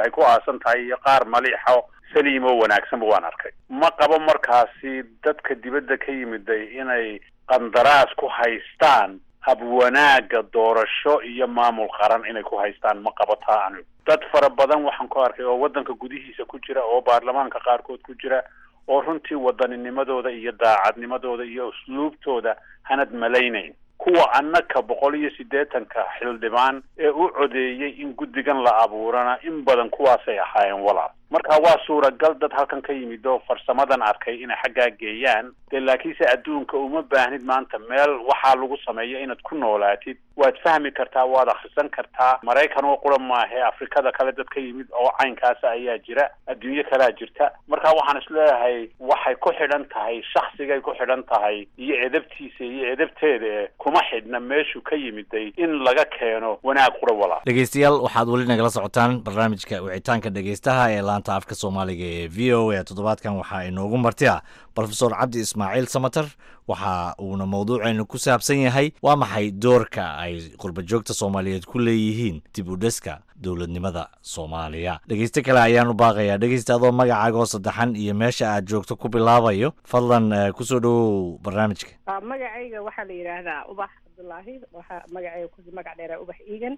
ay ku aasan tahay, iyo qaar maliixo saliim oo wanaagsanba waan arkay. Ma qabo markaasi dadka dibadda ka yimiday inay qandaraas ku haystaan Hab wanaagga doorasho iyo maamul qaran inay ku haystaan ma qabataa. Anigu dad fara badan waxaan ku arkay oo waddanka gudihiisa ku jira oo baarlamaanka qaarkood ku jira oo runtii waddaninimadooda iyo daacadnimadooda iyo usluubtooda hanad malaynayn. Kuwa annaka boqol iyo siddeetanka xildhibaan ee u codeeyey in guddigan la abuurana in badan kuwaasay ahaayeen walaal. Marka waa suuragal dad halkan ka yimid oo farsamadan arkay inay xaggaa geeyaan dee, laakiinse adduunka uma baahnid maanta meel waxaa lagu sameeyo inaad ku noolaatid. Waad fahmi kartaa, waad akhrisan kartaa. Maraykan oo qura maahe, Afrikada kale dad ka yimid oo caynkaasa ayaa jira, adduunyo kalea jirta. Marka waxaan isleeyahay waxay ku xidhan tahay shaksigay ku xidhan tahay iyo edabtiisa iyo edabteeda, kuma xidhna meeshuu ka yimiday in laga keeno wanaag qura walaal. Dhegeystayaal, waxaad weli nagala socotaan barnaamijka wicitaanka dhegeystaha ee laanta afka Soomaaliga ee V O A. Toddobaadkan waxaa inoogu marti ah Profesor Cabdi Ismaaciil Samatar, waxa uuna mowduuceenu ku saabsan yahay waa maxay doorka ay qurba joogta Soomaaliyeed ku leeyihiin dib u dhiska dowladnimada Soomaaliya. Dhegeyste kale ayaanu baaqayaa. Dhegeysta, adoo magacaaga oo saddexan iyo meesha aad joogto ku bilaabayo, fadlan kusoo dhowow barnaamijka. Magacayga waxaa la yidhaahdaa Ubax Cabdullaahi, waxaa magacayga ku magac dheeraa Ubax Eegan.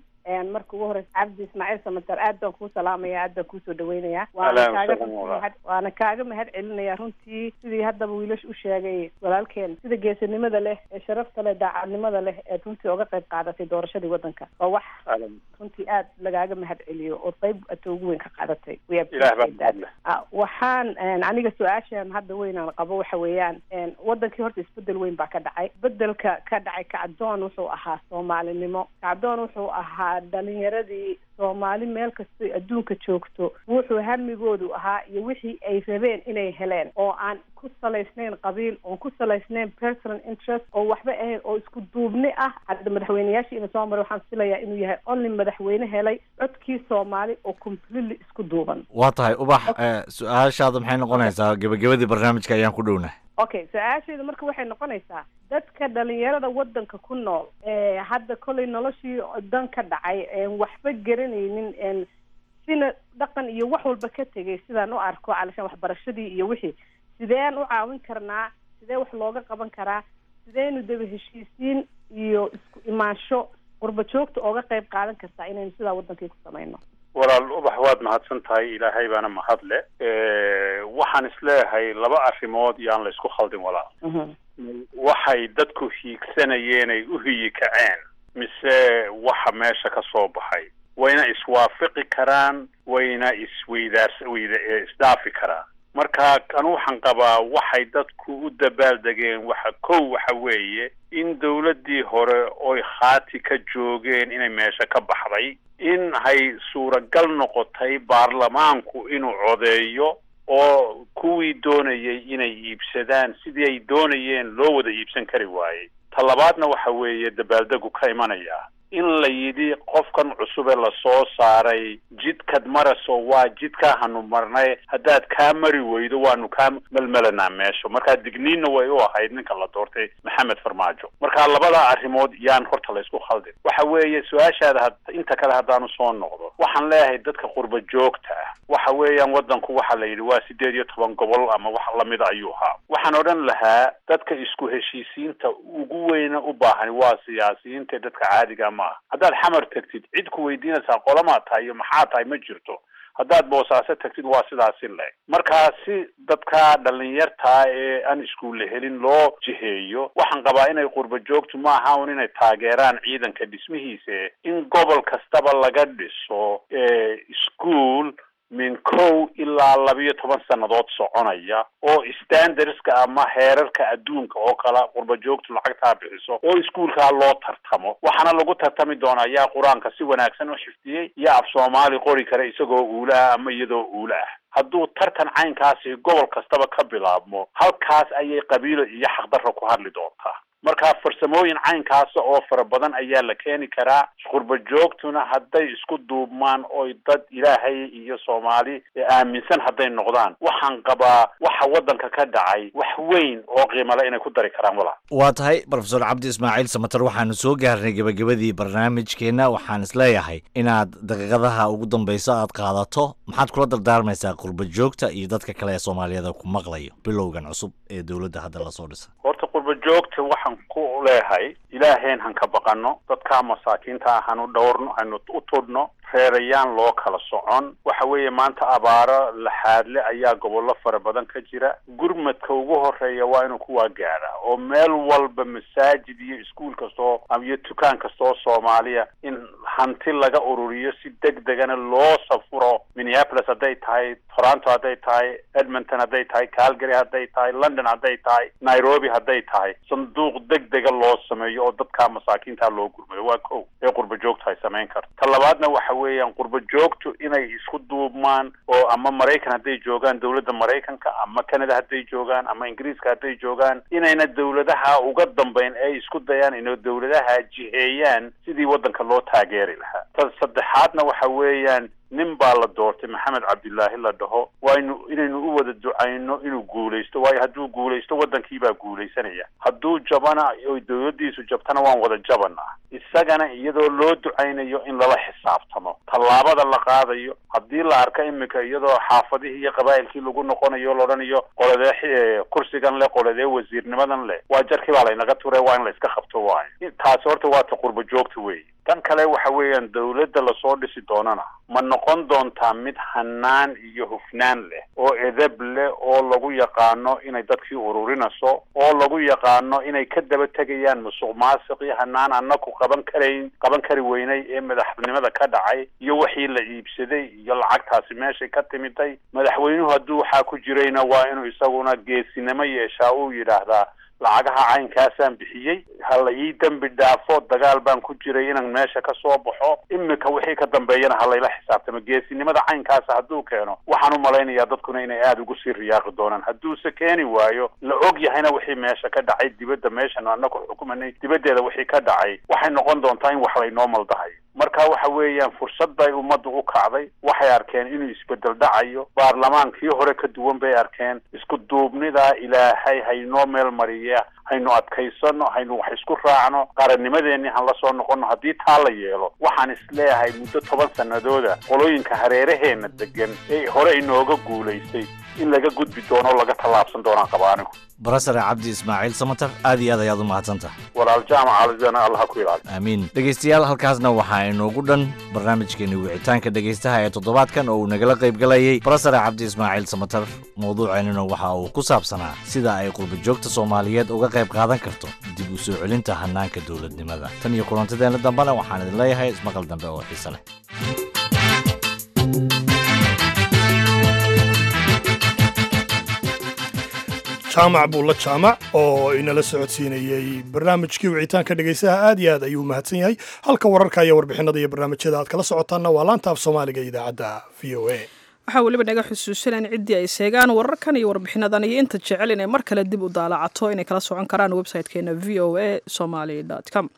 Marka ugu horeysa, Cabdi Ismaaciil Samatar, aad baan kuu salaamaya, aad baan kuusoo dhaweynaya, waana kaaga waana kaaga mahad celinaya runtii sidii haddaba wiilash u sheegay walaalkeen, sida geesinimada leh ee sharafta leh, daacadnimada leh eed runtii oga qayb qaadatay doorashadii waddanka. Waa wax runtii aad lagaaga mahad celiyo oo qayb ata ugu weyn ka qaadatay. Waxaan aniga su-aashan hadda weynaan qabo waxa weeyaan, wadankii horta isbedel weyn baa ka dhacay. Isbedelka ka dhacay, kacdoon wuxuu ahaa soomaalinimo, kacdoon wuxuu ahaa dhalinyaradii Soomaali meel kastoy adduunka joogto wuxuu hamigoodu ahaa iyo wixii ay rabeen inay heleen, oo aan ku salaysnayn qabiil, oon ku salaysnayn personal interest, oo waxba ahayn, oo isku duubni ah. Hadda madaxweyneyaashii ina soo maray, waxaan filayaa inuu yahay only madaxweyne helay codkii Soomaali oo completely isku duuban. Waa tahay Ubax, su-aashaada maxay noqonaysaa? Gebagabadii barnaamijka ayaan ku dhownahay. Okay, su-aasheedu marka waxay noqonaysaa, dadka dhalinyarada waddanka ku nool ee hadda kollay noloshii dan ka dhacay, een waxba garanaynin, een sina dhaqan iyo wax walba ka tegay, sidaan u arko calashaan waxbarashadii iyo wixii, sideen u caawin karnaa? Sidee wax looga qaban karaa? Sideynu daba heshiisiin iyo isku imaansho qurba joogta ooga qayb qaadan kartaa inaynu sidaa waddankii ku samayno? Walaal Ubax, waad mahadsan tahay, Ilaahay baana mahadle. Waxaan isleeyahay laba arrimood yaan la isku khaldin walaal. Waxay dadku hiigsanayeen ay u hiyi kaceen mise waxa meesha ka soo baxay wayna iswaafiqi karaan, wayna isweydaars weyda isdhaafi karaan. Marka anu waxaan qabaa waxay dadku u dabaaldegeen waxa kow waxa weeye in dawladdii hore oy khaati ka joogeen inay meesha ka baxday, in hay suuragal noqotay baarlamaanku inuu codeeyo oo kuwii doonayay inay iibsadaan sidii ay doonayeen loo wada iibsan kari waayey. Ta labaadna waxa weeye dabaaldegu ka imanaya in la yidhi qofkan cusub ee lasoo saaray jidkad maraso waa jidkaa hanu marnay, haddaad kaa mari weydo waanu kaa melmelanaa meesha. Markaa digniinna way u ahayd ninka la doortay, Maxamed Farmaajo. Marka labada arrimood yaan horta la isku khaldin. Waxa weeye su-aashaada had inta kale haddaanu soo noqdo, waxaan leeyahay dadka qurba joogta ah, waxa weeyaan waddanku waxa la yidhi waa sideed iyo toban gobol ama wax lamida ayuu ahaa. Waxaan odhan lahaa dadka isku heshiisiinta ugu weyna u baahan waa siyaasiyiinta, dadka caadiga maaha. Haddaad Xamar tagtid, cid ku weydiinaysaa qolamaa tahay iyo maxaa tahay ma jirto. Haddaad Boosaaso tagtid, waa sidaasi leeg. Markaa si dadka dhalinyartaa ee aan iskuulle helin loo jiheeyo, waxaan qabaa inay qurba joogtu maaha un inay taageeraan ciidanka dhismihiisa, in gobol kastaba laga dhiso iskuol min kow ilaa labiyo toban sannadood soconaya oo standardska ama heerarka adduunka oo kala qurba joogtu lacagtaa bixiso oo iskuolkaa loo tartamo. Waxaana lagu tartami doonaa yaa Qur-aanka si wanaagsan u xifdiyey, yaa af Soomaali qori kara isagoo uula ah ama iyadoo uula ah. Hadduu tartan caynkaasi gobol kastaba ka bilaabmo, halkaas ayay qabiilo iyo xaqdarra ku hadli doontaa. Marka farsamooyin caynkaasa oo fara badan ayaa la keeni karaa. Qurba joogtuna hadday isku duubmaan oy dad Ilaahay iyo Soomaali aaminsan hadday noqdaan, waxaan qabaa waxa waddanka ka dhacay wax weyn oo qiimale inay ku dari karaan walaal. Waa tahay Profesor Cabdi Ismaaciil Samatar, waxaanu soo gaarnay gebagabadii barnaamijkeenna. Waxaan isleeyahay inaad daqiiqadaha ugu dambeyso aad qaadato, maxaad kula dardaarmaysaa qurba joogta iyo dadka kale ee Soomaaliyada ku maqlayo bilowgan cusub ee dowladda hadda lasoo dhisa? Horta qurba Qurba joogta waxaan ku leehay, ilaaheen han ka baqano, dadkaa masaakiinta ah hanu dhowrno, hanu u tudhno, reerayaan loo kala socon. Waxa weeye maanta abaaro laxaadle ayaa gobollo fara badan ka jira. Gurmadka ugu horeeya waa inuu kuwaa gaadha, oo meel walba masaajid iyo iskuul kastoo iyo dukaan kastoo Soomaaliya in hanti laga ururiyo, si deg degana loo safuro. Minneapolis hadday tahay, Toronto hadday tahay, Edmonton hadday tahay, Calgary hadday tahay, London hadday tahay, Nairobi hadday tahay, sanduuq deg dega loo sameeyo oo dadkaa masaakiinta loo gurmado. Waa kow ee qurba joogtu ay samayn karto. Ta labaadna waxa weeyaan qurba joogtu inay isku duubmaan, oo ama Maraykan hadday joogaan dowladda Maraykanka, ama Canada hadday joogaan, ama Ingiriiska hadday joogaan, inayna dowladaha uga dambayn ay isku dayaan inay dowladaha jiheeyaan sidii waddanka loo taageeri lahaa. Ta saddexaadna waxa weeyaan nin baa la doortay, Maxamed Cabdilaahi la dhaho, waa inu inaynu u wada ducayno inuu guulaysto, waayo hadduu guulaysto waddankiibaa guulaysanaya, hadduu jabana oy dowladdiisu jabtana waan wada jabanaa. Isagana iyadoo loo ducaynayo in lala xisaabtamo tallaabada la qaadayo. Haddii la arko imika iyadoo xaafadihii iyo qabaa'ilkii lagu noqonayo, laodhanayo qoladee kursigan leh, qoladee wasiirnimadan leh, waa jarkii baa laynaga ture, waa in la iska qabto. Waayo taasi horta waa ta qurba joogta weeye. Tan kale waxa weeyaan dowladda lasoo dhisi doonana ma noqon doontaa mid hanaan iyo hufnaan leh oo edeb leh, oo lagu yaqaano inay dadkii ururinayso, oo lagu yaqaano inay ka daba tegayaan musuq maasiqii hanaan anaku qaban karayn qaban kari weynay ee madaxnimada ka dhacay, iyo wixii la iibsaday iyo lacagtaasi meeshay ka timiday. Madaxweynuhu hadduu waxaa ku jirayna waa inuu isaguna geesinimo yeeshaa, uu yidhaahdaa lacagaha caynkaasaan bixiyey, ha la ii dembi dhaafo, dagaal baan ku jiray inaan meesha ka soo baxo, imika wixii ka dambeeyana ha layla xisaabtamo. Geesinimada caynkaasa hadduu keeno, waxaan u malaynayaa dadkuna inay aada ugu sii riyaaqi doonaan. Hadduuse keeni waayo, la og yahayna wixii meesha ka dhacay dibadda, meeshan anaku xukumanay dibaddeeda wixii ka dhacay, waxay noqon doontaa in wax laynoo maldahayo. Marka waxa weeyaan fursad bay ummaddu u kacday, waxay arkeen inuu isbedel dhacayo, baarlamaankii hore ka duwan bay arkeen. Isku duubnidaa Ilaahay haynoo meel mariya, haynu adkaysano, haynu wax isku raacno, qarannimadeenii han la soo noqono. Haddii taa la yeelo, waxaan isleeyahay muddo toban sanadooda qolooyinka hareeraheenna degan ee hore inooga guulaystay in laga gudbi doono, laga tallaabsan doonaan qaba anigu. Barasare Cabdi Ismaaciil Samatar, aad iyo aad ayaad u mahadsantahay. Walaal Jaamac, alizana Allah ku ilaali. Aamiin. Dhegaystayaal, halkaasna waxaa inoogu dhan barnaamijkeeni wicitaanka dhegaystaha ee toddobaadkan oo uu nagala qayb galayay Barasare Cabdi Ismaaciil Samatar. Mawduuceennuna waxa uu ku saabsanaa sida ay qurbajoogta Soomaaliyeed uga qayb qaadan karto dib u soo celinta hannaanka dowladnimada. Tan iyo kulantadeenna dambena waxaan idin leeyahay ismaqal dambe oo xiise leh. Jaamac Buulla Jaamac oo inala socodsiinayey barnaamijkii wicitaanka dhegaysaha aad iyo aad ayuu mahadsan yahay. Halka wararka iyo warbixinada iyo barnaamijyada aad kala socotaanna waa laanta af Soomaaliga idaacadda V O A. Waxaa weliba naga xusuusanaan ciddii ay seegaan wararkan iyo warbixinadan iyo inta jecel inay mar kale dib u daalacato inay kala socon karaan website-keena V O A Somali com.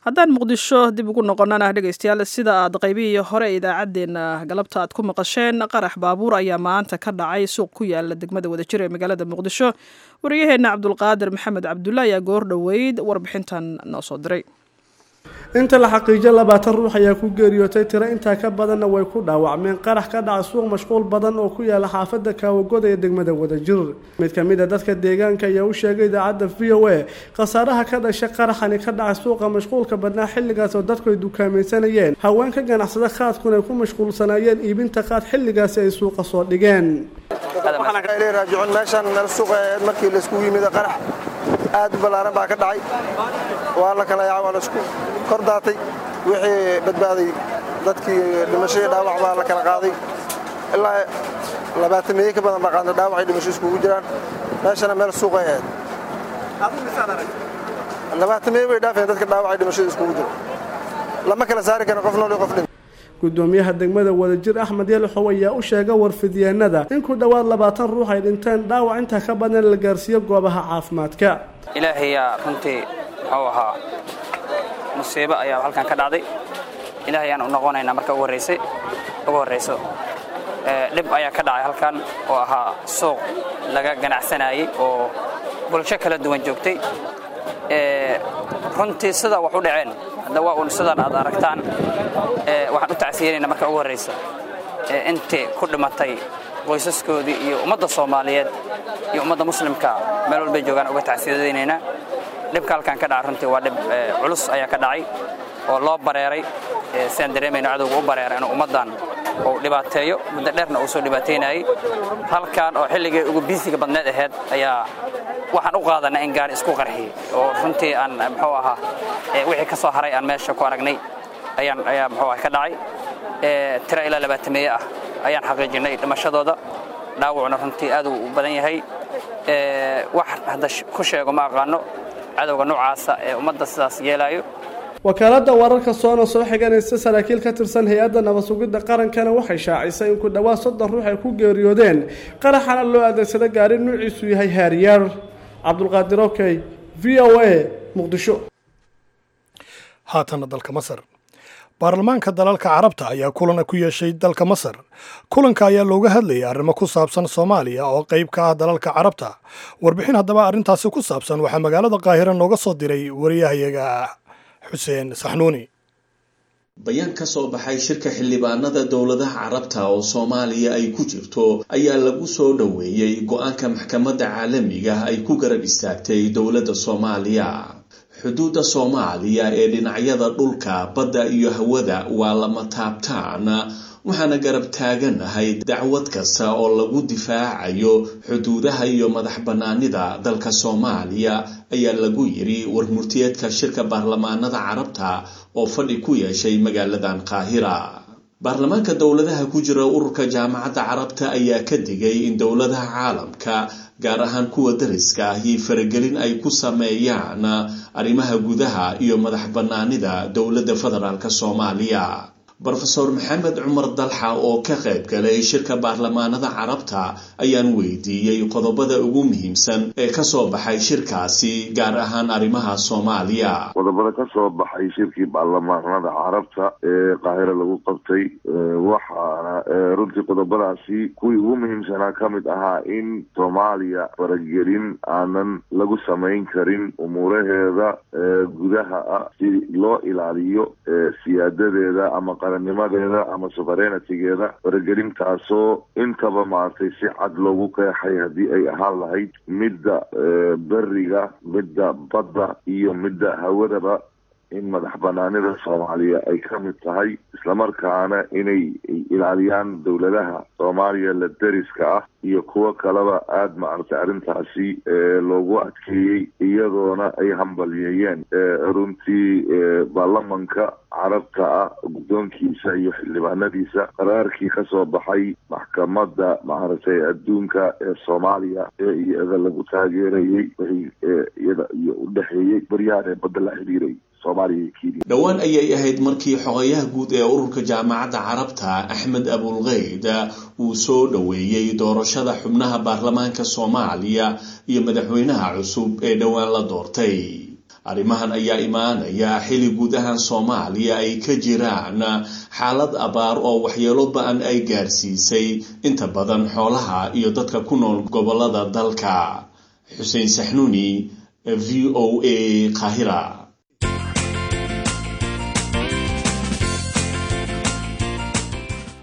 Haddaan Muqdisho dib ugu noqonana, dhegaystayaal, sida aad qaybihii hore idaacaddeenna galabta aad ku maqasheen, qarax baabuur ayaa maanta ka dhacay suuq ku yaala degmada Wadajir ee magaalada Muqdisho. Wariyaheenna Cabdulqaadir Maxamed Cabdulla ayaa goor dhoweyd warbixintan noo soo diray. Inta la xaqiijiyo labaatan ruux ayaa ku geeriyootay, tiro intaa ka badanna way ku dhaawacmeen qarax ka dhaca suuq mashquul badan oo ku yaala xaafadda Kaawagoda ee degmada Wadajir. Mid ka mid a dadka deegaanka ayaa u sheegay idaacadda V O A khasaaraha ka dhashay qaraxani ka dhacay suuqa mashquulka badnaa, xilligaas oo dadku ay dukaamaysanayeen, haweenka ganacsada qaadkuna ay ku mashquulsanaayeen iibinta qaad xilligaasi ay suuqa soo dhigeen. Raajicuun. Meeshan meel suuqa markii laiskugu yimid qarax aad u ballaaran baa ka dhacay. Waa la kala yaacay, waa laisku kor daatay. Wixii badbaaday dadkii dhimashadii dhaawac baa la kala qaaday. Ilaa labaatan meeyo ka badan baa qaadnay, dhaawacay dhimasho iskugu jiraan. Meeshana meel suuqay ahayd. Labaatan meeyo bay dhaafeen dadka dhaawacay dhimashada iskugu jira. Lama kala saari karo qof nool iyo qof dhintay. Gudoomiyaha degmada Wadajir Axmed Yalaxow ayaa u sheegay warfidyaanada in ku dhowaad labaatan ruux ay dhinteen, dhaawac intaa ka badan la gaarsiiyo goobaha caafimaadka. Ilaahayaa runtii muxuu ahaa, musiibo ayaa halkan ka dhacday. Ilaahay ayaan u noqonaynaa marka ugu horreysay ugu horreyso. Dhib ayaa ka dhacay halkan oo ahaa suuq laga ganacsanayay oo bulsho kala duwan joogtay. Runtii sida wax u dhaceen hadda waa uun sidan aad aragtaan. Waxaan u tacsiyeynaynaa marka ugu horreysa intii ku dhimatay Qoysaskoodii iyo ummadda Soomaaliyeed iyo ummadda muslimka meel walbay joogaan uga tacsiyadaynaynaa. Dhibka halkan ka dhaca runtii waa dhib culus ayaa ka dhacay oo loo bareeray, sidaan dareemayno cadowga u bareeray inuu ummaddan uu dhibaateeyo, muddo dheerna uu soo dhibaateynayay. Halkan oo xilligii ugu biisiga badneed ahayd ayaa waxaan u qaadanay in gaari isku qarxiyey, oo runtii aan muxuu ahaa wixii ka soo haray aan meesha ku aragnay ayaan ayaa muxuu ah ka dhacay. Tiro ilaa labaatameeye ah ayaan xaqiijinay dhimashadooda, dhaawacuna runtii aad uu u badan yahay. Wax hadda ku sheego ma aqaano cadowga noocaasa ee ummadda sidaas yeelaayo. Wakaaladda wararka soona soo xiganaysa saraakiil ka tirsan hay-adda nabad sugidda qarankana waxay shaacisay in ku dhowaad soddon ruux ay ku geeriyoodeen qaraxana loo adeegsada gaari nuuciisu yahay Harrier. Cabdulqaadir Okey, V O A, Muqdisho. Haatana dalka Masar. Baarlamaanka dalalka Carabta ayaa kulan ku yeeshay dalka Masar. Kulanka ayaa looga hadlayay arrimo ku saabsan Soomaaliya oo qayb ka ah dalalka Carabta. Warbixin haddaba arrintaasi ku saabsan waxaa magaalada Qaahira nooga soo diray wariyahayaga Xuseen Saxnuuni. Bayaan ka soo baxay shirka xildhibaanada dowladaha Carabta oo Soomaaliya ay ku jirto ayaa lagu soo dhoweeyey go-aanka maxkamadda caalamiga ay ku garab istaagtay dowladda Soomaaliya. Xuduudda Soomaaliya ee dhinacyada dhulka, badda iyo hawada waa lama taabtaan, waxaana garab taaganahay dacwad kasta oo lagu difaacayo xuduudaha iyo madax bannaanida dalka Soomaaliya, ayaa lagu yiri warmurtiyeedka shirka baarlamaanada Carabta oo fadhi ku yeeshay magaaladan Qaahira. Baarlamaanka dowladaha ku jira ururka Jaamacadda Carabta ayaa ka digay in dowladaha caalamka, gaar ahaan kuwa dariska ahi, faragelin ay ku sameeyaan arrimaha gudaha iyo madax bannaanida dowladda federaalk Soomaaliya. Brofesor Maxamed Cumar Dalxa oo ka qayb galay shirka baarlamaanada Carabta ayaan weydiiyey qodobada ugu muhiimsan ee ka soo baxay shirkaasi, gaar ahaan arrimaha Soomaaliya. Qodobada ka soo baxay shirkii baarlamaanada Carabta ee Qaahira lagu qabtay, waxaana runtii qodobadaasi kuwii ugu muhiimsanaa ka mid ahaa in Soomaaliya faragelin aanan lagu samayn karin umuuraheeda gudaha ah si loo ilaaliyo siyaadadeeda ama qarannimadeeda ama sovereignty-geeda. Faragelintaasoo intaba maaragtay si cad loogu qeexay haddii ay ahaan lahayd midda beriga, midda badda iyo midda hawadaba, in madax banaanida Soomaaliya ay ka mid tahay, islamarkaana inay ilaaliyaan dowladaha Soomaaliya la deriska ah iyo kuwo kaleba aada maaragtay arrintaasi loogu adkeeyey, iyadoona ay hambalyeeyeen runtii baarlamanka Carabta ah guddoonkiisa iyo xildhibaanadiisa qaraarkii ka soo baxay maxkamadda maaragtay adduunka ee Soomaaliya ee iyada lagu taageerayey wixii iyada iyo u dhexeeyey baryahan ee badda la xiriiray. Dhowaan ayay ahayd markii xogayaha guud ee ururka Jaamacadda Carabta Axmed Abulkeyd uu soo dhoweeyey doorashada xubnaha baarlamaanka Soomaaliya iyo madaxweynaha cusub ee dhowaan la doortay. Arrimahan ayaa imaanaya xili guud ahaan Soomaaliya ay ka jiraan xaalad abaar oo waxyeelo ba-an ay gaarsiisay inta badan xoolaha iyo dadka ku nool gobolada dalka. Xuseen Saxnuuni, V O A, Qaahira.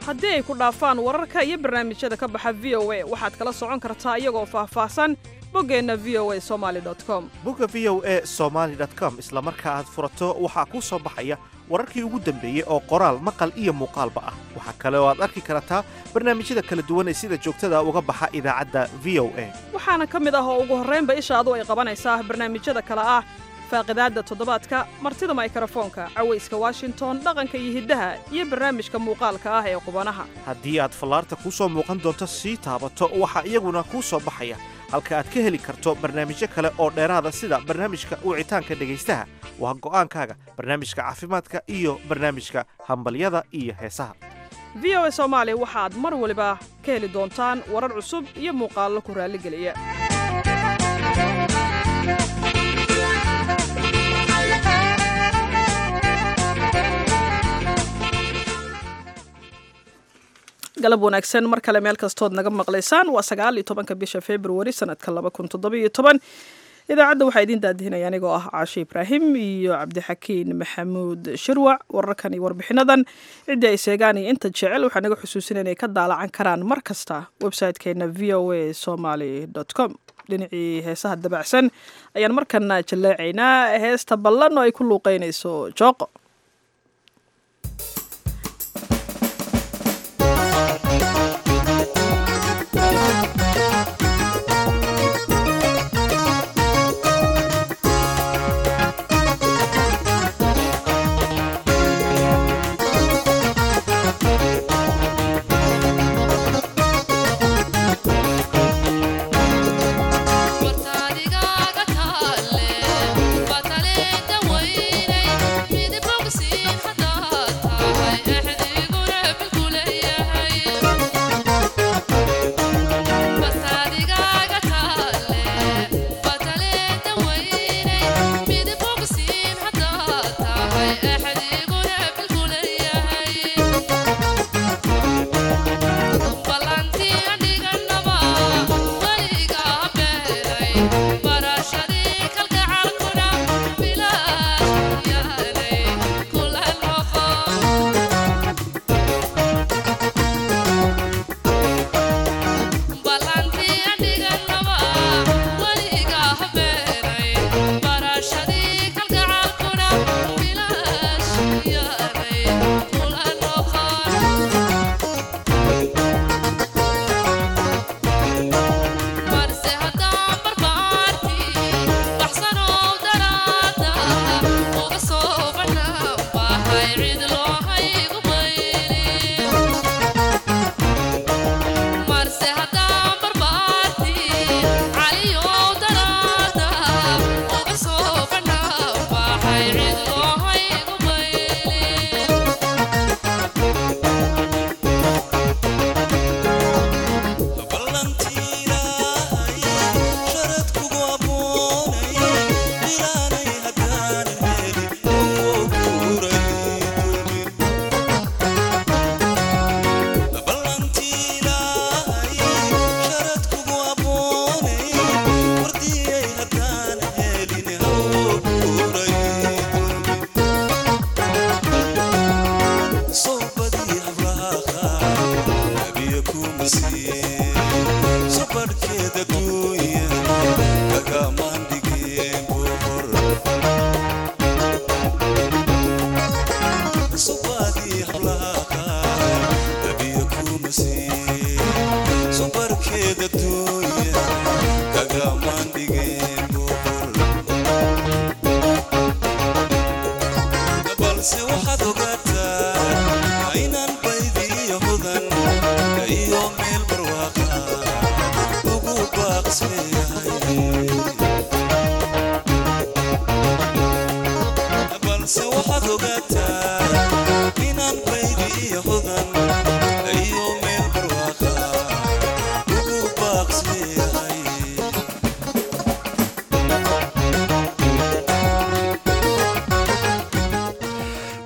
Haddii ay ku dhaafaan wararka iyo barnaamijyada ka baxa V O A, waxaad kala socon kartaa iyagoo faahfaahsan boggeenna V O A somali com. Bogga V O A somaali com isla marka aad furato waxaa kuu soo baxaya wararkii ugu dambeeyey oo qoraal, maqal iyo muuqaalba ah. Waxaa kale oo aad arki kartaa barnaamijyada kala duwan ee sida joogtada uga baxa idaacadda V O A. Waxaana ka mid ah oo ugu horraynba ishaadu ay qabanaysaa barnaamijyada kale ah faaqidaadda toddobaadka, martida maykarafoonka, cawayska Washington, dhaqanka iyo hiddaha, iyo barnaamijka muuqaalka ah ee qubanaha. Haddii aad fallaarta kuu soo muuqan doonto sii taabato, waxaa iyaguna kuu soo baxaya halka aad ka heli karto barnaamijyo kale oo dheeraada sida barnaamijka wicitaanka dhegaystaha, waa go'aankaaga, barnaamijka caafimaadka iyo barnaamijka hambalyada iyo heesaha. V O A Soomaali waxaad mar waliba ka heli doontaan warar cusub iyo muuqaallo ku raalligeliya. Galab wanaagsan mar kale meel kastood naga maqlaysaan. Waa sagaal iyo tobanka bisha Februari sanadka laba kun toddoba iyo toban. Idaacadda waxaa idiin daadihinaya anigoo ah Caashe Ibraahim iyo Cabdixakiin Maxamuud Shirwac. Wararkan iyo warbixinadan ciddii ay seegaan iyo inta jecel waxaa naga xusuusin inay ka daalacan karaan mar kasta website-keena v o a somaly com. Dhinacii heesaha dabacsan ayaan markana jalleecaynaa heesta ballan oo ay ku luuqeynayso Jooqo.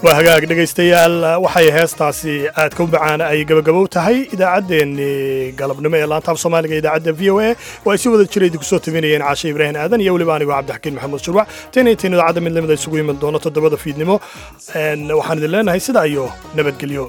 Waa hagaag dhegaystayaal, waxay heestaasi aadka u macaan ay gabagabow tahay idaacaddeenii galabnimo ee laanta af Soomaaliga, idaacadda V O A oo ay si wada jira idinku soo tabinayeen Caashe Ibraahim Aadan iyo weliba anigoo Cabdixakiin Maxamuud Shurwac. Tan iyo tan idaacadda mid lamid isugu iman doono toddobada fiidnimo, waxaan idin leenahay sidaa iyo nabadgelyo.